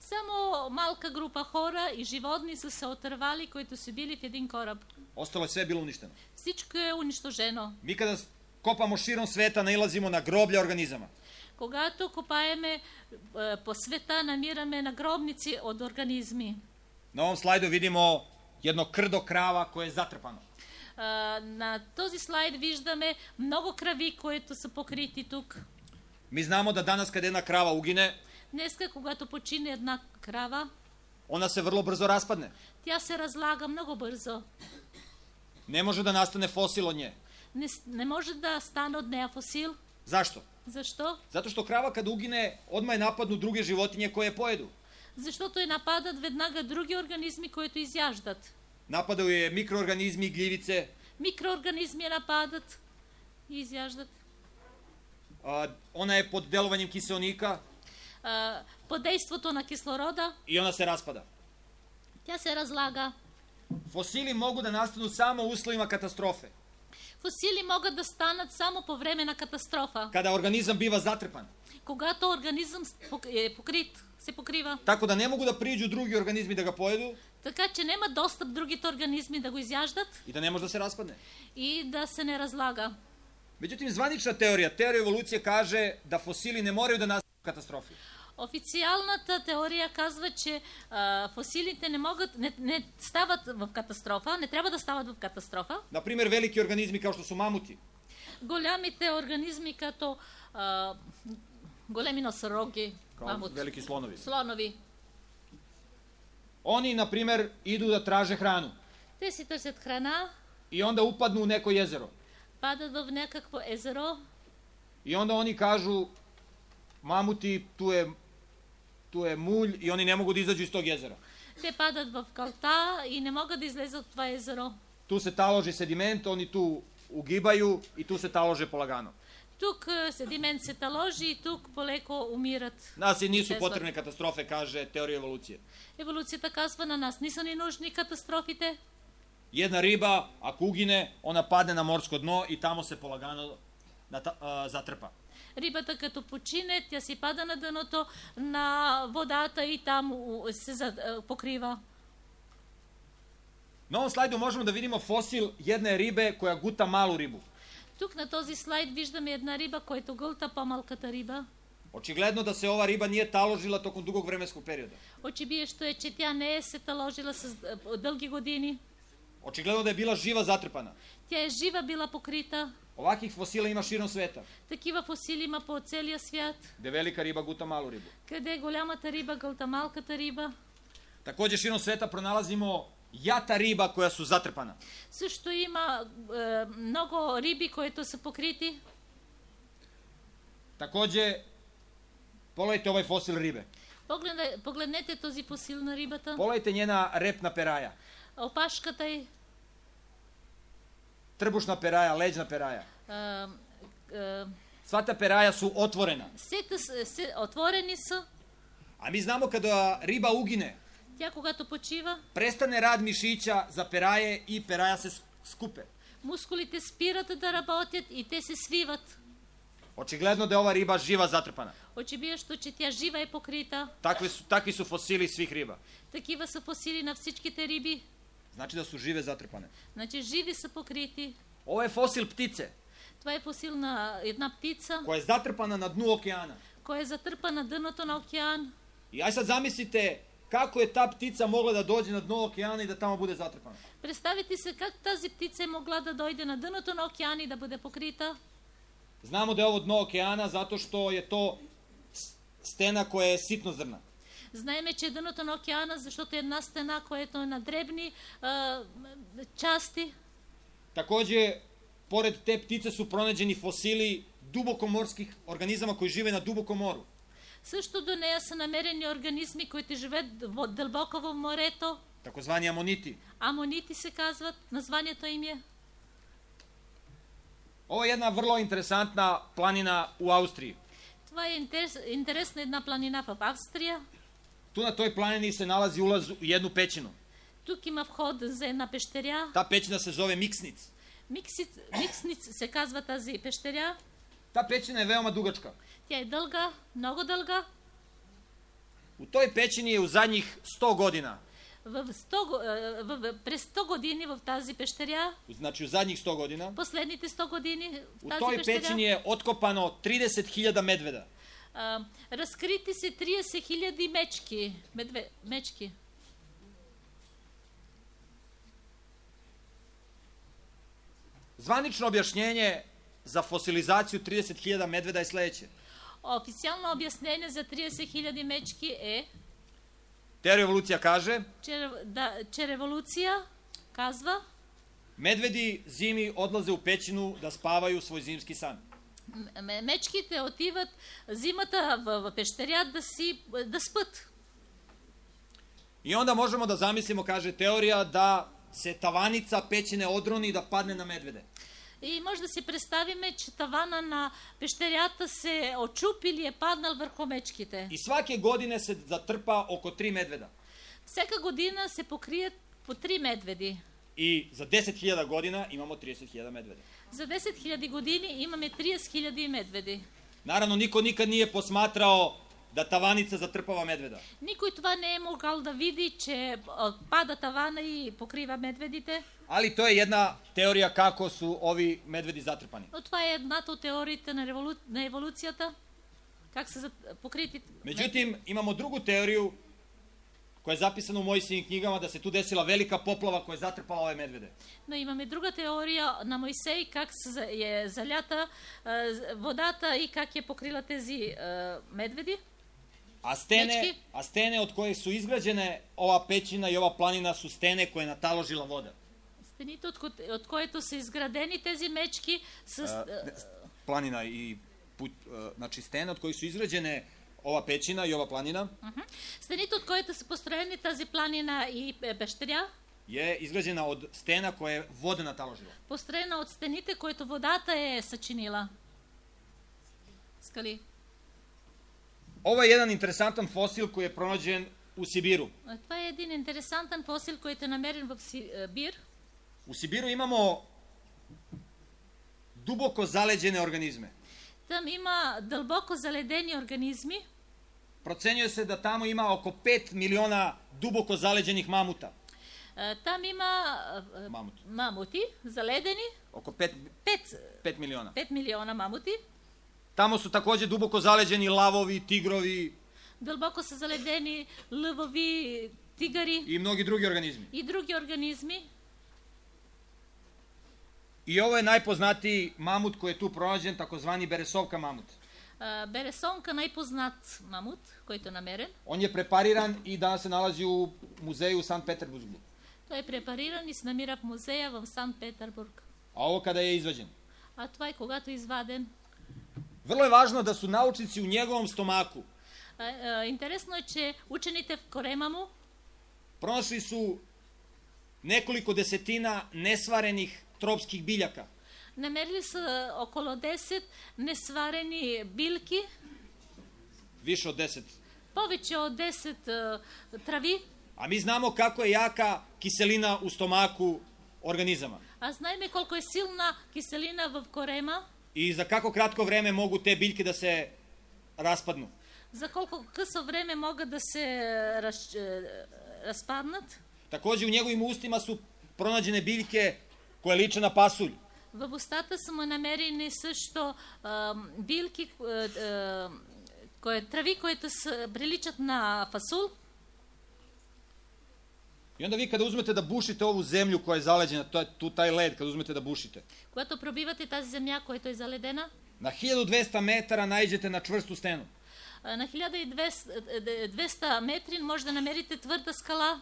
Само малка група хора и животни са се отървали, които са били в един кораб. Ostalo je sve bilo uništeno. Всичко е унищожено. Mi kada kopamo širom sveta nailazimo na groblja organizama. Когато копаеме по света, намираме нагробници от организми. Na ovom slajdu vidimo jedno krdo krava koje je zatrpano. На този слайд виждаме много крави, които са покрити тук. Mi znamo da danas kada jedna krava ugine, Днеска, когато почине една крава, ona se vrlo brzo raspadne. тя се разлага много бързо. Ne može da nastane fosil od nje. Не може да стане от нея фосил. Zašto? Защо? Zato što krava kad ugine, odmah je napadnu druge životinje koje je pojedu. Защото я нападат веднага други организми, които изяждат. Napadaju je mikroorganizmi, gljivice, Микроорганизми я нападат и изяждат. ona je pod delovanjem kiseonika Под действото на кислорода i ona se raspada. тя се разлага. Fosili mogu da nastanu samo u uslovima katastrofe. Фосили могат да станат само по време на катастрофа. Kada organizam biva zatrpan. Когато организъм е покрит, се покрива. Tako da ne mogu da priđu drugi organizmi da ga pojedu Така че няма достъп другите организми да го изяждат i da ne može da se raspadne. и да се не разлага. Međutim, zvanična teorija evolucije kaže da fosili ne moraju da nastanu u katastrofi. Официалната теория казва, че фосилите не стават в катастрофа, не трябва да стават в катастрофа. Например, veliki organizmi kao što su mamuti. Голямите организми като големи носороги, мамут, Veliki slonovi. слонови, Oni, na primjer, idu da traže hranu те си търсят храна, i onda upadnu u neko jezero. падат в някакво езеро I onda oni kažu, mamuti, tu je mulj i oni ne mogu da izađu iz tog jezera. те падат в калта и не могат да излезат от това езеро. Tu se taloži sediment, oni tu ugibaju i tu se talože polagano. Тук седимент се таложи и тук полеко умират. Nas i nisu potrebne katastrofe, kaže teorija evolucije. Еволюцията казва на нас, не са ни нужни катастрофите. Jedna riba, ako ugine, ona padne na morsko dno i tamo se polagano zatrpa. Рибата като почине, тя си пада на дъното на водата и там се покрива. Na ovom slajdu možemo da vidimo fosil jedne ribe koja guta malu ribu. Тук на този слайд виждаме една риба, която гълта по-малката риба. Očigledno da se ova riba nije taložila tokom dugog vremenskog perioda. Очевидно е, че тя не е се таложила с дълги години. Očigledno da je bila živa zatrpana. Тя е жива била покрита. Ovakvih fosila ima širom sveta, Такива фосили има по целия свят. gde velika riba guta malu ribu. Къде голямата риба гълта малката риба. Takođe širom sveta pronalazimo jata riba koja su zatrpana. Също има много риби, които са покрити. Takođe, pogledajte ovaj fosil ribe. Погледнете този фосил на рибата. Pogledajte njena repna peraja, Опашката й. trbušna peraja, leđna peraja. Sva ta peraja su otvorena. Отворени са. A mi znamo kada riba ugine, Тя когато почива, prestane rad mišića za peraje i peraja se skupe. мускулите спират да работят и те се свиват. Očigledno da je ova riba živa zatrpana. Очевидно, че тя жива е покрита. Takvi su fosili svih riba. Такива са фосили на всичките риби. Znači da su žive zatrpane. Значи живи са покрити. Ovo je fosil ptice Това е фосил на една птица, koja je zatrpana na dnu okeana. koja е затърпа на дъното на океан. I aj sad zamislite kako je ta ptica mogla da dođe na dno okeana i da tamo bude zatrpana. Представете се как тази птица е могла да дойде на дъното на океан и да бъде покрита. Znamo da je ovo dno okeana zato što je to stena koja je sitnozrna. Знаеме, че е дъното на океана, защото е една стена, която е на дребни части. Takođe, pored te ptice su pronađeni fosili dubokomorskih organizama koji žive na dubokom moru. Също до нея са намерени организми, които живеят дълбоко в морето. Takozvani amoniti. Амонити се казват, названието им е. Ovo je jedna vrlo interesantna planina u Austriji. Това е интересна една планина в Австрия. Tu na toj planini se nalazi ulaz u jednu pećinu. Тук има вход за една пещеря. Ta pećina se zove Miksnic. Миксниц се казва тази пещеря. Ta pećina je veoma dugačka. Тя е дълга, много дълга. U toj pećini je u zadnjih 100 godina, През 100 години в тази пещеря, znači u zadnjih 100 godina, последните 100 години в u тази toj пещеря, pećini je otkopano 30.000 medveda. разкрити се 30 000 мечки. Zvanično objašnjenje za fosilizaciju 30.000 medveda je sledeće. Официално обяснение за 30 000 мечки е, Teorija evolucija kaže, че революция казва, medvedi zimi odlaze u pećinu da spavaju svoj zimski san. мечките отиват зимата в пещеря да спят. I onda možemo da zamislimo, kaže teorija, da se tavanica pećine odroni i da padne na medvede. И може да си представиме, че тавана на пещерята се очупи или е паднал върху мечките. I svake godine se zatrpa oko 3 medveda. Всяка година се покрият по 3 медведи. I za 10.000 godina imamo 30.000 medveda. За 10 000 години имаме 30 000 медведи. Naravno, niko nikad nije posmatrao da tavanica zatrpava medveda. Никой това не е могъл да види, че пада тавана и покрива медведите. Ali to je jedna teorija kako su ovi medvedi zatrpani. Но това е едната от теориите на еволюцията. Как са покрити. Međutim, imamo drugu teoriju koja je zapisana u Mojsijevim knjigama, da se tu desila velika poplava koja je zatrpala ove medvede. Но имаме друга теория на Мойсей, как е залята водата и как е покрила тези медведи. A stene od koje su izgrađene ova pećina i ova planina su stene koje je nataložila voda. Стените, от които са изградени тези мечки с... Planina i znači stene od kojih su izgrađene ova pećina i ova planina. Стените, от които са построени тази планина и пещеря, je izgrađena od stena koje je voda nataložila. Построена от стените, които водата е съчинила. Скали. Ovo je jedan interesantan fosil koji je pronađen u Sibiru. Това е един интересантен фосил, който е намерен в Сибир. U Sibiru imamo duboko zaleđene organizme. Там има дълбоко заледени организми. Procenjuje se da tamo ima oko 5 miliona duboko zaleđenih mamuta. Там има мамути заледени. Oko 5 miliona. 5 милиона мамути. Tamo su takođe duboko zaleđeni lavovi, tigrovi. Дълбоко са заледени лъвови, тигъри. I mnogi drugi organizmi. И други организми. I ovo je najpoznatiji mamut koji je tu pronađen, takozvani Beresovka mamut. Бересонка, най-познат мамут, който е намерен. On je prepariran i danas se nalazi u muzeju u Sankt Peterburgu. Той е препариран и се намира в музея в Санкт-Петербург. A ovo kada je izvađen. А това е когато е изваден. Vrlo je važno da su naučnici u njegovom stomaku Интересно е, че учените в корема му pronašli su nekoliko desetina nesvarenih tropskih biljaka. намерили са около 10 несварени билки, Više od 10. повече от 10 трави. A mi znamo kako je jaka kiselina u stomaku organizama. А знаеме колко е силна киселина в корема. I za kako kratko vreme mogu te biljke da se raspadnu. За колко късо време могат да се разпаднат. Takođe u njegovim ustima su pronađene biljke koje liče na pasulj. В устата са му намерени също билки, трави, които приличат на фасул. I onda vi kada uzmete da bušite ovu zemlju koja je zaleđena, to je tu taj led, kada uzmete da bušite. Когато пробивате тази земя, която е заледена, Na 1200 metara naiđete na čvrstu stenu. на 1200 метри може да намерите твърда скала.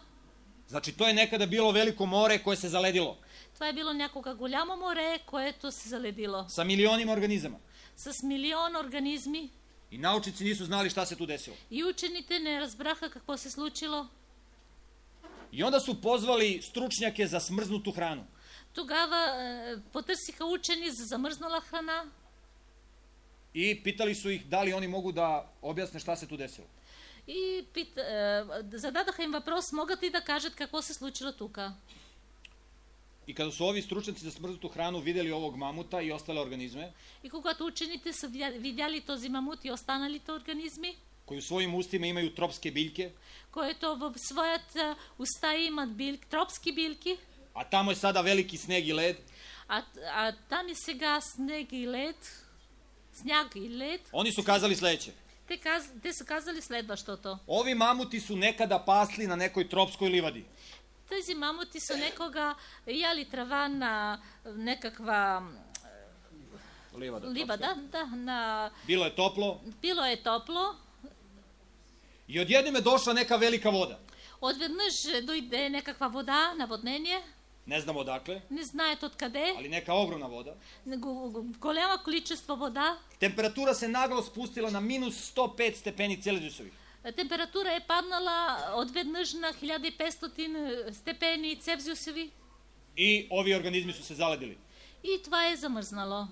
Znači, to je nekada bilo veliko more koje se zaledilo. Това е било някога голямо море, което се заледило. Sa milionima organizama. С милион организми. I naučnici nisu znali šta se tu desilo. И учените не разбраха какво се случило. I onda su pozvali stručnjake za smrznutu hranu. Тогава потърсиха учени за замръзнала храна. I pitali su ih da li oni mogu da objasne šta se tu desilo. И зададаха им въпрос, могат ли да кажат какво се случило тука? I kada su ovi stručnjaci za smrznutu hranu videli ovog mamuta i ostale organizme, И когато учените са видяли този мамут и останалите организми, koji u svojim ustima imaju tropske biljke, които в своята уста имат тропски билки, a tamo je sada veliki sneg i led, а там и сега снег и лед, сняг и лед, oni su kazali sledeće. те са казали следващото. Ovi mamuti su nekada pasli na nekoj tropskoj livadi. Тези мамути са некога яли трава на некаква ливада, Bilo je toplo. Било е топло. I odjednom je došla neka velika voda. Odvednъж дойде некаква вода, наводнение. Ne znamo odakle, Не знаят откъде. ali neka ogromna voda. Голямо количество вода. Temperatura se naglo spustila na minus 105 stepeni Celzijusovih. Температура е паднала отведнъж на 1500 степени Целзиусови. I ovi organizmi su se zaledili. И това е замръзнало.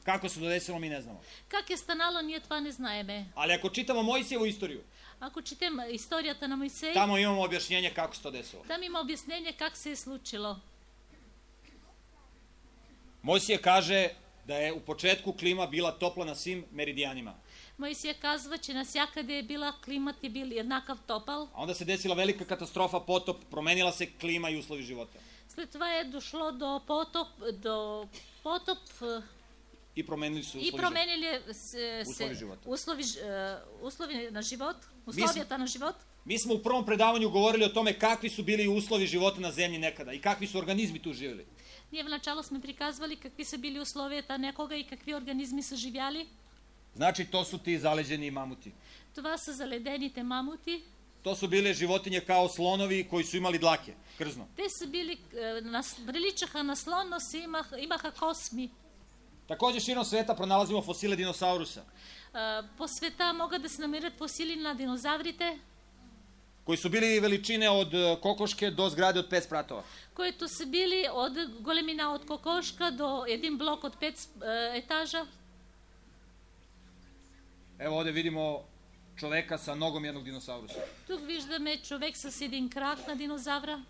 Kako se to desilo, mi ne znamo. Как е станало, ние това не знаеме. Ali ako čitamo Mojsijevu istoriju, Ако четем историята на Мойсей, tamo imamo objašnjenje kako se to desilo. там има обяснение как се е случило. Mojsije kaže da je u početku klima bila topla na svim meridijanima. Моисия казва, че навсякъде е била климат и бил еднакъв топъл. A onda se desila velika katastrofa, potop, promenila se klima i uslovi života. След това е дошло до потоп I promenili su и променили се uslovi на живот, условията на живот. Mi smo u prvom predavanju govorili o tome kakvi su bili uslovi života na zemlji nekada i kakvi su organizmi tu živjeli. Ние в начало сме приказвали какви са били условията некога и какви организми са живяли. Znači, to su ti zaleđeni mamuti. Това са заледените мамути. To su bile životinje kao slonovi koji su imali dlake, krzno. Те са били, приличаха на слон, но имаха косми. Takođe, širom sveta pronalazimo fosile dinosaurusa. По света могат да се намерят фосили на динозаврите, koji su bili veličine od kokoške do zgrade od 5 spratova. които са били от големина от кокошка до един блок от 5 етажа. Evo ovde vidimo čoveka sa nogom jednog dinosaurusa. Тук виждаме човек с един крак на динозавра.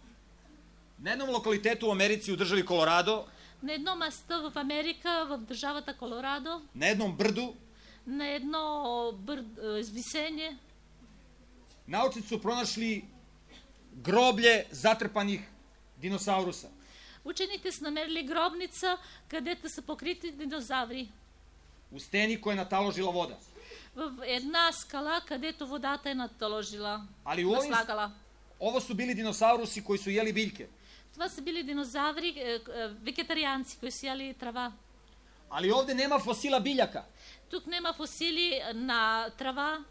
Na jednom lokalitetu u Americi u državi Kolorado, На едно место в Америка, в държавата Колорадо, na jednom brdu, на едно извисение, naučnici su pronašli groblje zatrpanih dinosaurusa. учените са намерили гробница, където са покрити динозаври. U steni koja je nataložila voda. В една скала, където водата е натложила, Ali наслагала. ovo su bili dinosaurusi koji su jeli biljke. Това са били динозаври, вегетарианци, които са яли трава. Ali ovde nema fosila biljaka. Тук нема фосили на трава.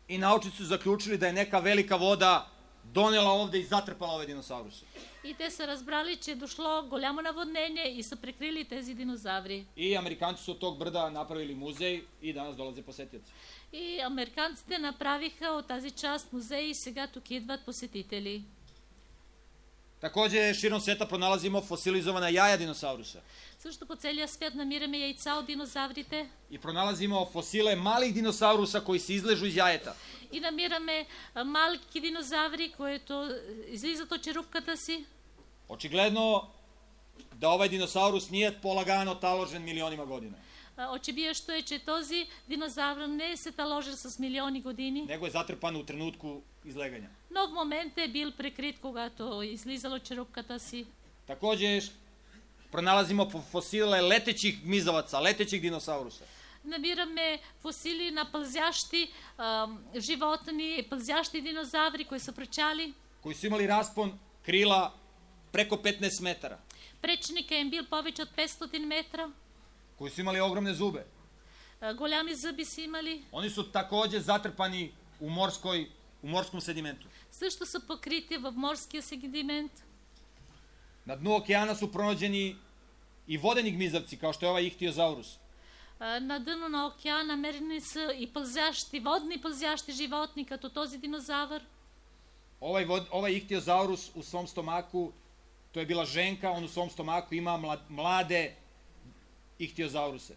I naučnici su zaključili da je neka velika voda donela ovde i zatrpala ove dinosauruse. И те са разбрали, че е дошло голямо наводнение и са прикрили тези динозаври. I Amerikanci su od tog brda napravili muzej i danas dolaze posetioci. И американците направиха от тази част музей и сега тук идват посетители. Takođe, širom sveta pronalazimo fosilizovana jaja dinosaurusa. Също по целия свят намираме яйца от динозаврите. I pronalazimo fosile malih dinosaurusa koji se izležu iz jajeta. И намираме малки динозаври, които излизат от черупката си. Očigledno da ovaj dinosaurus nije polagano taložen milionima godina. Очевидно е, че този динозавр не се таложил с милиони години. Nego je zatrpan u trenutku izleganja. Но в момент е бил прикрит, когато излизал от черупката си. Takođe, pronalazimo fosile letećih gmizavaca, letećih dinosaurusa. Намираме фосили на пълзящи животни, пълзящи динозаври, които са пречали. Koji su imali raspon krila preko 15 metara. Пречника им бил повече от 500 метра. Koji su imali ogromne zube. Голями зъби са имали. Oni su takođe zatrpani u morskom sedimentu. Също са покрити в морския сегмент. Na dnu okeana su pronađeni i vodeni gmizavci, kao što je ovaj ihtiozaurus. На дъно на океана намерени са и пълзящи, водни пълзящи животни, като този динозавър. Ovaj ihtiozaurus u svom stomaku, to je bila ženka, on u svom stomaku ima mlade ihtiozauruse.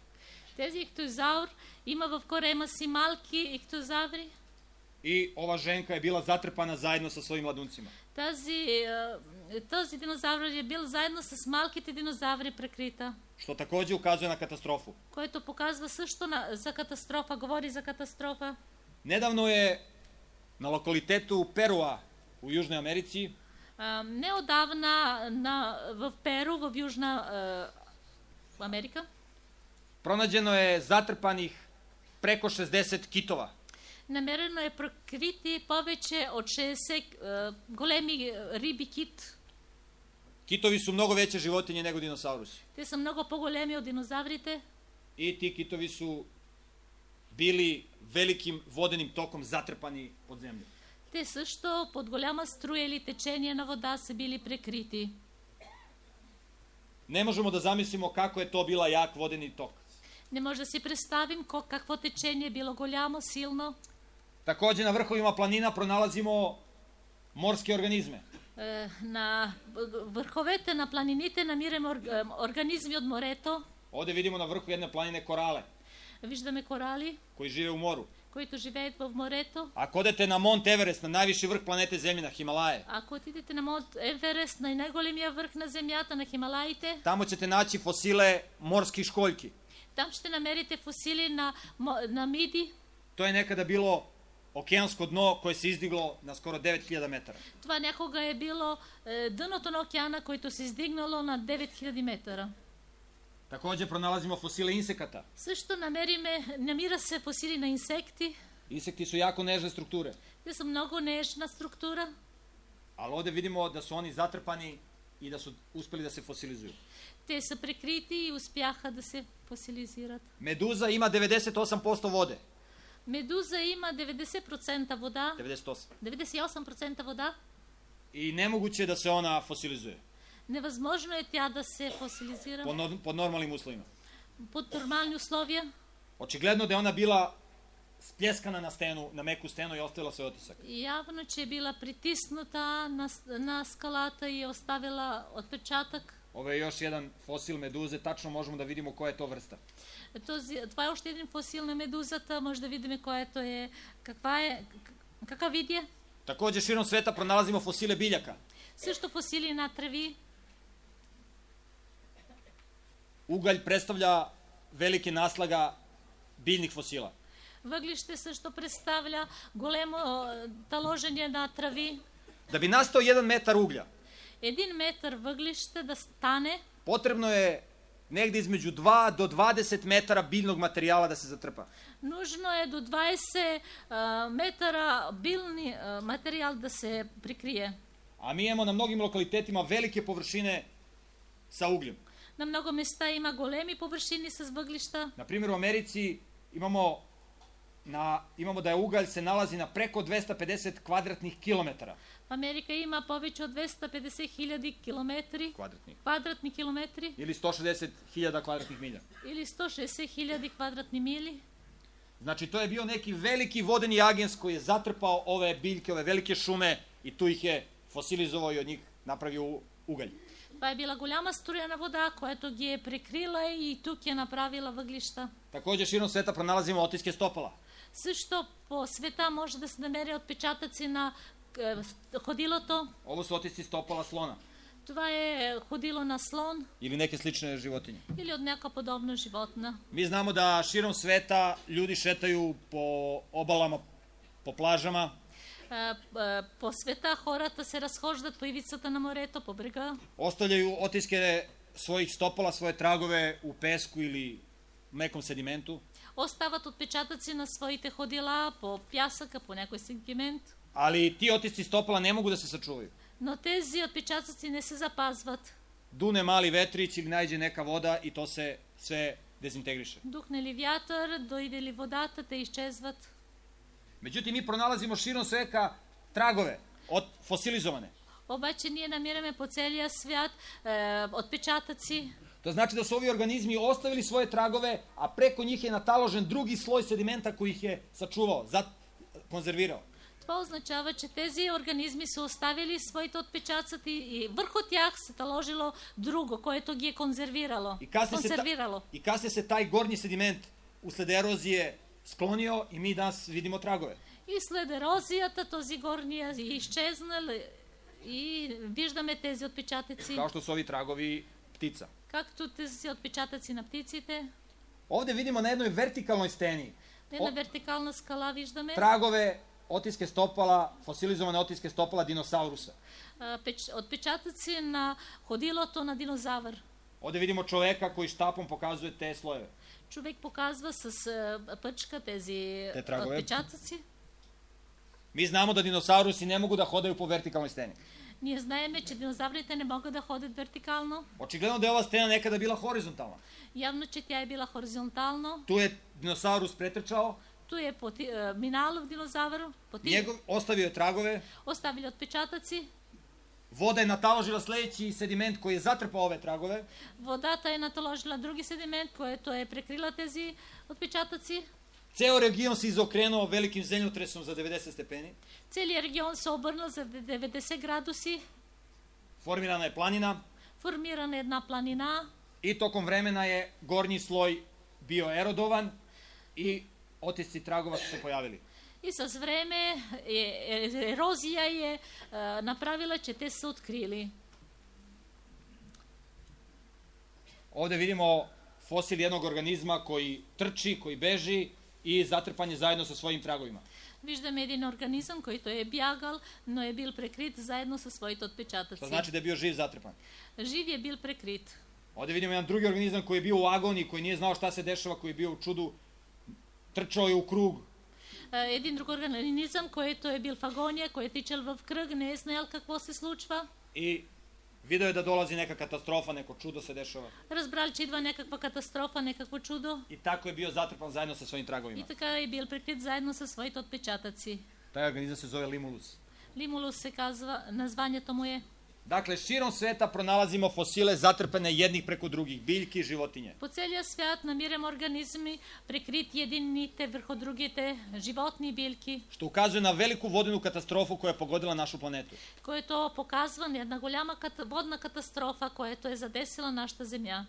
Тези ихтиозаур има в корема си малки ихтиозаври. I ova ženka je bila zatrpana zajedno sa svojim mladuncima. Този динозавр е бил заедно с малките динозаври прекрита. Što takođe ukazuje na katastrofu. Който показва също за катастрофа, говори за катастрофа. Nedavno je na lokalitetu Perua u Južnoj Americi Неодавна в Перу, в Южна Америка, pronađeno je zatrpanih preko 60 kitova. намерено е прекрити повече от 60 големи риби кит. Kitovi su mnogo veće životinje nego dinosaurusi. Те са много по-големи от динозаврите. I ti kitovi su bili velikim vodenim tokom zatrpani pod zemlju. Те също под голяма струя или течение на вода са били прекрити. Ne možemo da zamislimo kako je to bila jak vodeni tok. Не може да си представим какво течение било голямо, силно. Takođe na vrhovima planina pronalazimo morske organizme. На върховете на планините намираме организми от морето. Ovde vidimo na vrhu jedne planine korale. Виждаме корали, koji žive u moru. които живеят в морето. Ako odete na Mont Everest, na najviši vrh planete Zemlje, na Himalaje, Ако отидете на Монт Еверест, на най-големия върх на земята, на Хималаите, tamo ćete naći fosile morskih školjki. там ще намерите фосили на миди. To je nekada bilo okeansko dno koje se izdiglo na skoro 9000 metara. Това някога е било дъното на океана, което се издигнало на 9000 метра. Takođe pronalazimo fosile insekata. Също намира се фосили на инсекти. Insekti su jako nežne strukture, Те са много нежна структура. ali ovde vidimo da su oni zatrpani i da su uspeli da se fosilizuju. Те са прикрити и успяха да се фосилизират. Meduza ima 98% vode. Медуза има 90% вода, 98. 98% вода. I nemoguće je da se ona fosilizuje Невъзможно е тя да се фосилизира pod normalnim uslovima. под нормални условия. Očigledno da je ona bila spljeskana na meku stenu i ostavila svoj otisak. Явно, че е била притисната на скалата и е оставила отпечатък. Ovo je još jedan fosil meduze, tačno možemo da vidimo koja je to vrsta. Това е още един фосил на медузата, може да видим което е, какъв вид е. Takođe, širom sveta pronalazimo fosile biljaka. Също фосили на треви. Ugalj predstavlja velike naslaga biljnih fosila. Въглище също представля големо таложение на трави. Da bi nastao 1 metar uglja, 1 метър въглище да стане, potrebno je negde između 2 do 20 metara biljnog materijala da se zatrpa. нужно е до 20 метра билни материал да се прикрие. A mi imamo na mnogim lokalitetima velike površine sa ugljem. На много места има големи повършини с въглища. Na primjer, u Americi imamo da je ugalj se nalazi na preko 250 kvadratnih kilometara. В Америка има повече от 250 хиляди километри, Kvadratnih. квадратни километри Ili 160.000 kvadratnih milja. или 160 хиляди квадратни мили. Znači, to je bio neki veliki vodeni agens koji je zatrpao ove biljke, ove velike šume i tu ih je fosilizovao i od njih napravio ugalj. Това е била голяма струяна вода, която ги е прикрила и тук е направила въглища. Takođe, širom sveta pronalazimo otiske stopala. Също по света може да се намери отпечатъци на ходилото. Ovo su otisci stopala slona Това е ходило на слон ili neke slične životinje. или от някаква подобна животна. Mi znamo da širom sveta ljudi šetaju po obalama, po plažama, По света хората се разхождат по ивицата на морето, по брега. ostavljaju otiske svojih stopala, svoje tragove u pesku ili mekom sedimentu, Остават отпечатъци на своите ходила по пясъка, по някой сегмент. ali ti otisci stopala ne mogu da se sačuvaju. Но тези отпечатъци не се запазват. Dune mali vetrić ili najde neka voda i to se sve dezintegriše. Духне ли вятър, дойде ли водата, те изчезват. Međutim, mi pronalazimo širom sveta tragove, fosilizovane. Обаче ние намираме по целия свят отпечатъци. To znači da su ovi organizmi ostavili svoje tragove, a preko njih je nataložen drugi sloj sedimenta koji ih je sačuvao, konzervirao. Това означава, че тези организми са оставили своите отпечатъци и върху тях се наложило друго, което ги е консервирало. I kasnije se taj gornji sediment usled erozije sklonio i mi danas vidimo tragove. И след ерозията този горния е изчезнал и виждаме тези отпечатъци. Kao što su ovi tragovi ptica. Както тези отпечатъци на птиците. Ovde vidimo na jednoj vertikalnoj steni Една вертикална скала виждаме. tragove, otiske stopala, fosilizovane otiske stopala dinosaurusa. Отпечатъци на ходилото на динозавър. Ovde vidimo čoveka koji štapom pokazuje te slojeve. Човек показва с пъчка тези трагове. отпечатъци. Mi znamo da dinosaurusi ne mogu da hodaju po vertikalnoj steni. Ние знаеме, че динозаврите не могат да ходят вертикално. Očigledno da je ova stena nekada bila horizontalna. Явно, че тя е била хоризонтално. Tu je dinosaurus pretrčao, Tu je минало в динозавър, ostavio je tragove, оставили отпечатъци. voda je nataložila sledeći sediment koji je zatrpao ove tragove. Водата е наталожила други седимент, което е прекрила тези отпечатъци. Ceo region se izokrenuo velikim zemljotresom za 90 stepeni. Целият регион се обърнал за 90 градуси. Formirana je planina. Формирана една планина. I tokom vremena je gornji sloj bio erodovan i otisci tragova su se pojavili. И с време ерозия е направила, че те са открили. Ovde vidimo fosil jednog organizma koji trči, koji beži i zatrpan je zajedno sa svojim tragovima. Виждаме един организъм, който е бягал, но е бил прекрит заедно със своите отпечатъци. To znači da je bio živ zatrpan. Жив е бил прекрит. Ovde vidimo jedan drugi organizam koji je bio u agoniji, koji nije znao šta se dešava, koji je bio u čudu, trčao je u krug. Един друг организъм, който е бил в агония, който е тичал в кръг, не е знаел какво се случва. I video je da dolazi neka katastrofa, neko čudo se dešava. Разбрал, че идва някаква катастрофа, някакво чудо. I tako je bio zatrpan zajedno sa svojim tragovima. И така е бил прикрит заедно със своите отпечатъци. Taj organizam se zove limulus. Лимулус се казва, названието му е. Dakle, širom sveta pronalazimo fosile zatrpane jednih preko drugih, biljki i životinje. По целия свят намираме организми, прикрити единните върху другите, животни и билки. Što ukazuje na veliku vodenu katastrofu koja je pogodila našu planetu. Което показва една голяма водна катастрофа, която е задесила нашата земя.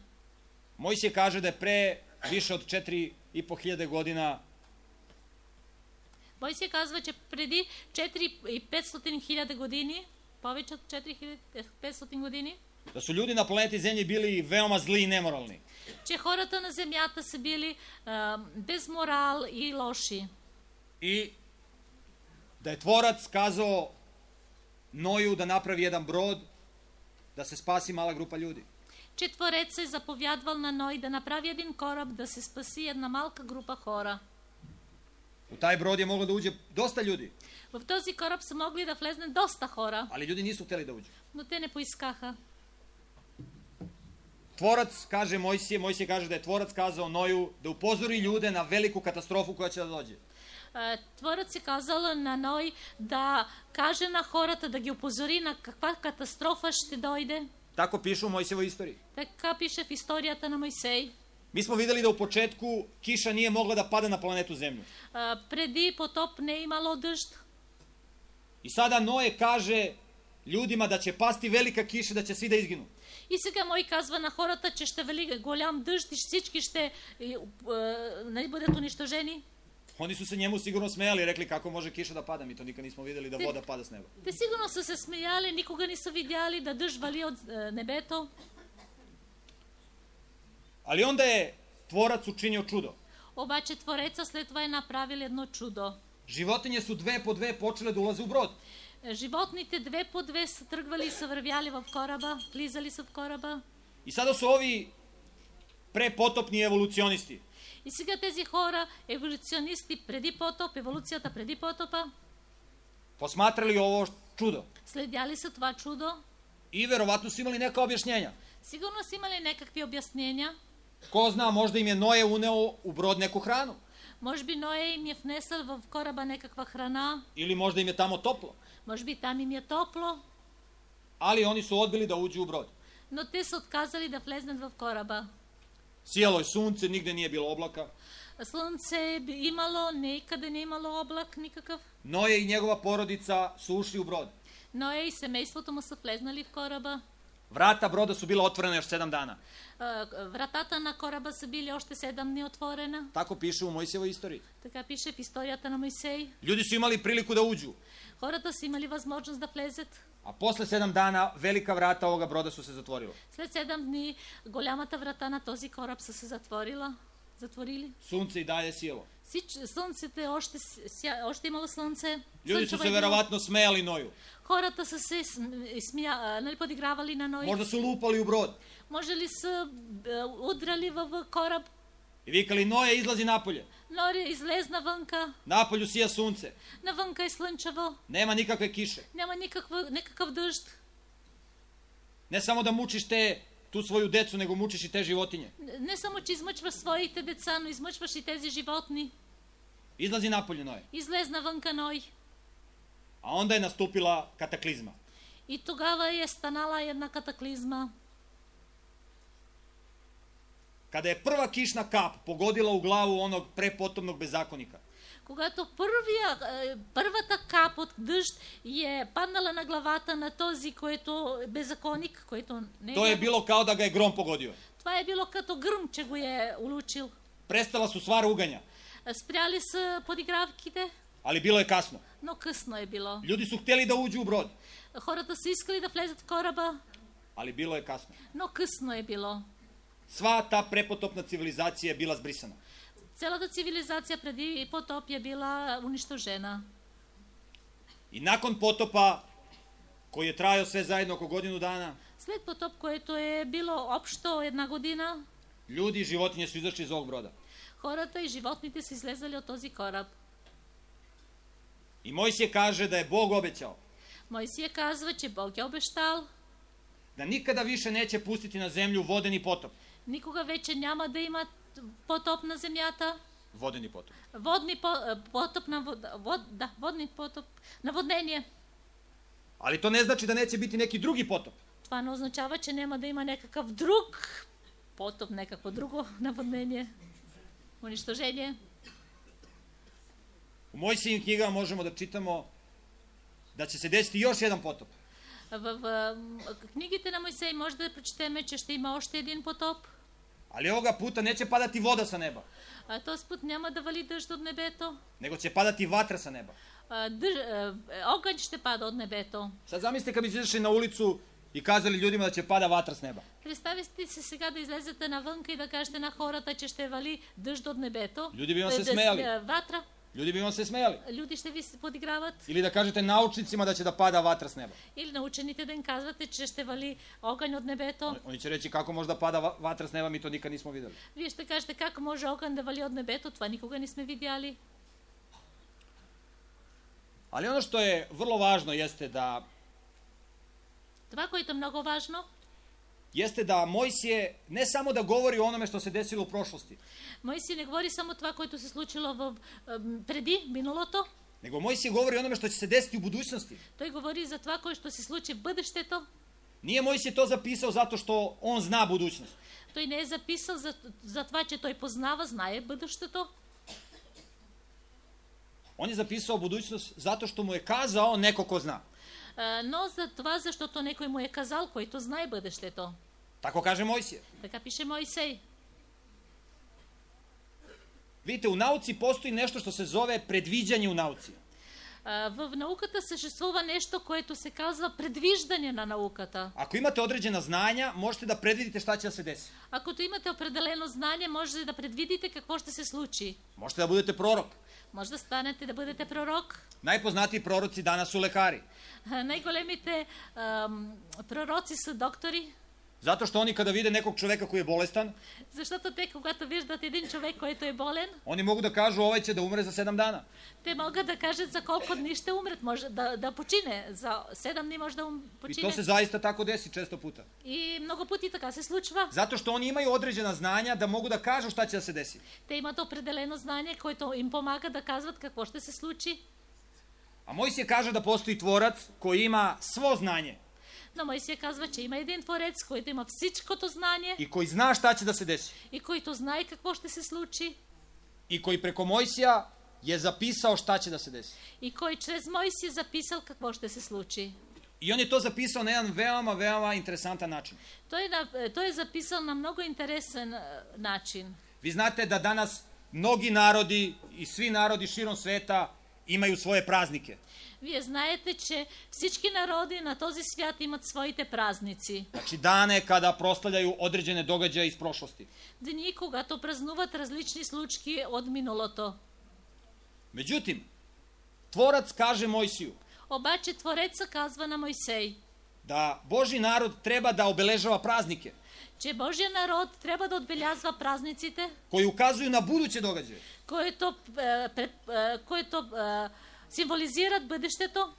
Mojsije kaže da je pre više od 4.500 godina Мойсия казва, че преди 4.500 хиляди години, повече от 4.500 години, da su ljudi na planeti Zemlji bili veoma zli i nemoralni. че хората на земята са били без морал и лоши. I da je tvorac kazao Noju da napravi jedan brod da se spasi mala grupa ljudi. Че Творец е заповядвал на Ной да направи един кораб да се спаси една малка група хора. U taj brod je moglo da uđe dosta ljudi, В този кораб са могли да влезне доста хора, ali ljudi nisu hteli da uđu. но те не поискаха. Tvorac kaže Mojsije kaže da je tvorac kazao Noju da upozori ljude na veliku katastrofu koja će da dođe. Творец е казал на Ной да каже на хората, да ги упозори на каква катастрофа ще дойде. Tako piše u Mojsijevoj istoriji. Така пише в историята на Мойсей. Mi smo videli da u početku kiša nije mogla da pada na planetu Zemlju. Преди потоп не е имало дъжд. I sada Noje kaže ljudima da će pasti velika kiša, da će svi da izginu. И сега Мой казва на хората, че ще вали голям дъжд и всички ще бъдат унищожени. Oni su se njemu sigurno smejali i rekli kako može kiša da pada, mi to nikad nismo videli da voda pada s neba. Те сигурно са се смеяли, никога не са видяли да дъжд вали от небето. Ali onda je tvorac učinio čudo. Обаче Твореца след това е направил едно чудо. Životinje su dve po dve počele da ulaze u brod. Животните две по две са тръгвали и са вървяли в кораба, влизали са в кораба. I sada su ovi prepotopni evolucionisti И сега тези хора, еволюционисти преди потоп, еволюцията преди потопа, posmatrali ovo čudo следяли са това чудо. i verovatno su imali neka objašnjenja. Сигурно са имали някакви обяснения. Ko zna, možda im je Noje uneo u brod neku hranu. Може би Ноя им е внесъл в кораба някаква храна. Ili možda im je tamo toplo. Може би там им е топло. Ali oni su odbili da uđu u brod. Но те са отказали да влезнат в кораба. Sijalo je sunce, nigde nije bilo oblaka. Slunce je imalo, nikada nije imalo oblak nikakav. Noje i njegova porodica su ušli u brod. Noe i семейството му са влезнали в кораба. Vrata broda su bila otvorena još 7 dana. Вратата на кораба са били още 7 дни отворена. Tako piše u Mojsijevoj istoriji. Така пише в историята на Мойсей. Ljudi su imali priliku da uđu. Хората са имали възможност да влезат. A posle 7 dana velika vrata ovoga broda su se zatvorila. След 7 дни голямата врата на този кораб са се затворили. Sunce i dalje sijelo. Слънцето още имало слънце. Ljudi su se verovatno smejali Noju. Хората са се подигравали на Ной. Možda su lupali u brod. Може ли са удрали в кораб? I vikali, Noje, izlazi napolje. Норе излезна вънка. Napolju sija sunce. Навънка е слънчево. Nema nikakve kiše. Няма никакъв дъжд. Ne samo da mučiš tu svoju decu, nego mučiš i te životinje. Не само, че измъчваш своите деца, но измъчваш и тези животни. Izlazi napolje, Noje. Излезна вънка Ной. A onda je nastupila kataklizma. И тогава е станала една катаклизма. Kada je prva kišna kap pogodila u glavu onog prepotopnog bezakonika, Когато първата кап от дъжд е паднала на главата на този, който е беззаконник, който не to je bilo kao da ga je grom pogodio. Това е било като гръм, че го е улучил. Prestala su sva ruganja, Спряли са подигравките, ali bilo je kasno. но късно е било. Ljudi su htjeli da uđu u brod, Хората са искали да влезат в кораба, ali bilo je kasno. но късно е било. Sva ta prepotopna civilizacija je bila zbrisana. Цялата цивилизация преди потоп е била унищожена. I nakon potopa, koji je trajao sve zajedno oko godinu dana, След потоп, което е било общо една година, ljudi i životinje su izašli iz ovog broda. хората и животните са излезали от този кораб. I Mojsije kaže da je Bog obećao Мойсия казва, че Бог е обещал, da nikada više neće pustiti na zemlju vodeni potop. никога вече няма да има потоп на земята. Vodeni potop. Водни потоп, наводнение. Ali to ne znači da neće biti neki drugi potop. Това не означава, че няма да има някакъв друг потоп, някакво друго наводнение, унищожение. U Mojsijim knjigama možemo da čitamo da će se desiti još jedan potop. В книгите на Мойсей може да прочетеме, че ще има още един потоп. Ali ovoga puta neće padati voda sa neba, Този път няма да вали дъжд от небето. nego će padati vatra sa neba. Огън ще пада от небето. Sad zamislite kad bi izašli na ulicu i kazali ljudima da će pada vatra s neba. Представете си сега да излезете навънка и да кажете на хората, че ще вали дъжд от небето. Ljudi bi vam se smejali. Ватра. Ljudi bi vam se smejali. Люди ще ви подиграват. Ili da kažete naučnicima da će da pada vatra s neba. Или на учените да им казвате, че ще вали огън от небето. Oni će reći kako može da pada vatra s neba, mi to nikad nismo videli. Вие ще кажете как може огън да вали от небето, това никога не сме видяли. Ali ono što je vrlo važno jeste da Това, което е много важно, Mojsije ne samo da govori o onome što se desilo u prošlosti, Мойсий не говори само това, което се случило преди миналото, nego Mojsije govori o onome što će se desiti u budućnosti. той говори за това, което ще се случи в бъдещето. Nije Mojsije to zapisao zato što on zna budućnost, Той не е записал за това, че той познава, знае бъдещето. on je zapisao budućnost zato što mu je kazao neko ko zna. Но за това, защото некой му е казал, който знае бъдещето. Tako kaže Mojsije. Така пише Мойсей. Vidite, u nauci postoji nešto što se zove predviđanje u nauci. В науката съществува нещо, което се казва предвиждане на науката. Ako imate određena znanja, možete da predvidite šta će da se desi. Ако имате определено знание, можете да предвидите какво ще се случи. Možete da budete prorok. Може да станете да бъдете пророк. Najpoznatiji proroci danas su lekari. Най-големите пророци са доктори. Zato što oni kada vide nekog čoveka koji je bolestan, Защото те, когато виждат един човек, който е болен, oni mogu da kažu ovaj će da umre za 7 dana. те могат да кажат за колко дни ще умрат, може да почине. За 7 дни може да I почине. to se zaista tako desi često puta. И много пъти така се случва. Zato što oni imaju određena znanja da mogu da kažu šta će da se desi. Те имат определено знание, което им помага да казват какво ще се случи. A Mojsije kaže da postoji tvorac koji ima svo znanje Но Мойсия казва, че има един творец, който има всичкото знание i koji zna šta će da se desi. и който знае какво ще се случи. i koji preko Mojsija je zapisao šta će da se desi. и кой чрез Моисия записал какво ще се случи. I on je to zapisao na jedan veoma interesantan način. Той е записал на много интересен начин. Vi znate da danas mnogi narodi i svi narodi širom sveta imaju svoje praznike. Вие знаете, че всички народи на този свят имат своите празници. Znači dane kada proslavljaju određene događaje iz prošlosti. Дни, когато празнуват различни случки от миналото. Međutim, Tvorac kaže Mojsiju Обаче Твореца казва на Мойсей, da Božji narod treba da obeležava praznike че Божия народ трябва да отбелязва празниците, koji ukazuju na buduće događaje. които символизират бъдещето.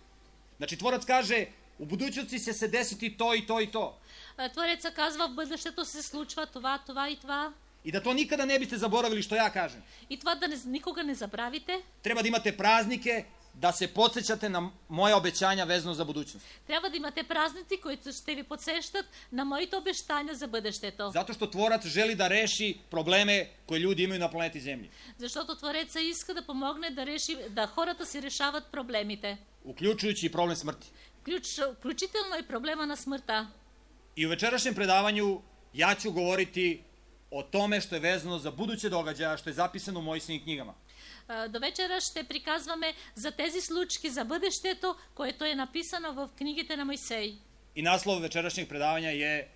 Znači Tvorac kaže u budućnosti će se desiti to i to i to. Твореца казва, в бъдещето се случва това, това и това. I da to nikada ne biste zaboravili što ja kažem. И това да никога не забравите. Treba da imate praznike da se podsjećate na moja obećanja vezano za budućnost. Трябва да имате празници, които ще ви подсещат на моите обещания за бъдещето. Zato što Tvorac želi da reši probleme koje ljudi imaju na planeti Zemlji. Защото Твореца иска да помогне да хората си решават проблемите. Uključujući i problem smrti. Включително и проблема на смъртта. I u večerašnjem predavanju ja ću govoriti o tome što je vezano za buduće događaja, što je zapisano u Mojsijevim knjigama. До вечера ще приказваме за тези случки за бъдещето, което е написано в книгите на Мойсей. I naslov večerašnjeg predavanja je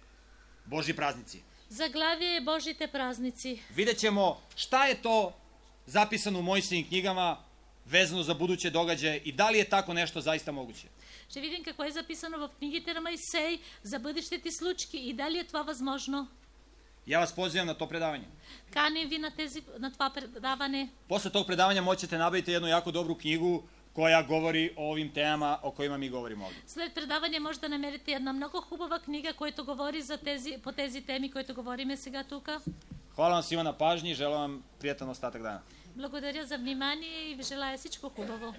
Božji praznici. Заглавие е Божите празници. Vidjet ćemo šta je to zapisano u Mojsijevim knjigama vezano za buduće događaje i da li je tako nešto zaista moguće. Ще видим какво е записано в книгите на Мойсей за бъдещите случки и дали е това възможно. Ja vas pozivam na to predavanje. Каним ви на това предаване. Posle tog predavanja moćete nabaviti jednu jako dobru knjigu koja govori o ovim temama o kojima mi govorimo ovdje. След предаване може да намерите една много хубава книга, която говори по тези теми, които говориме сега тук. Hvala vam svima na pažnji i želim vam prijatan ostatak dana. Благодаря за внимание и ви желая всичко хубаво.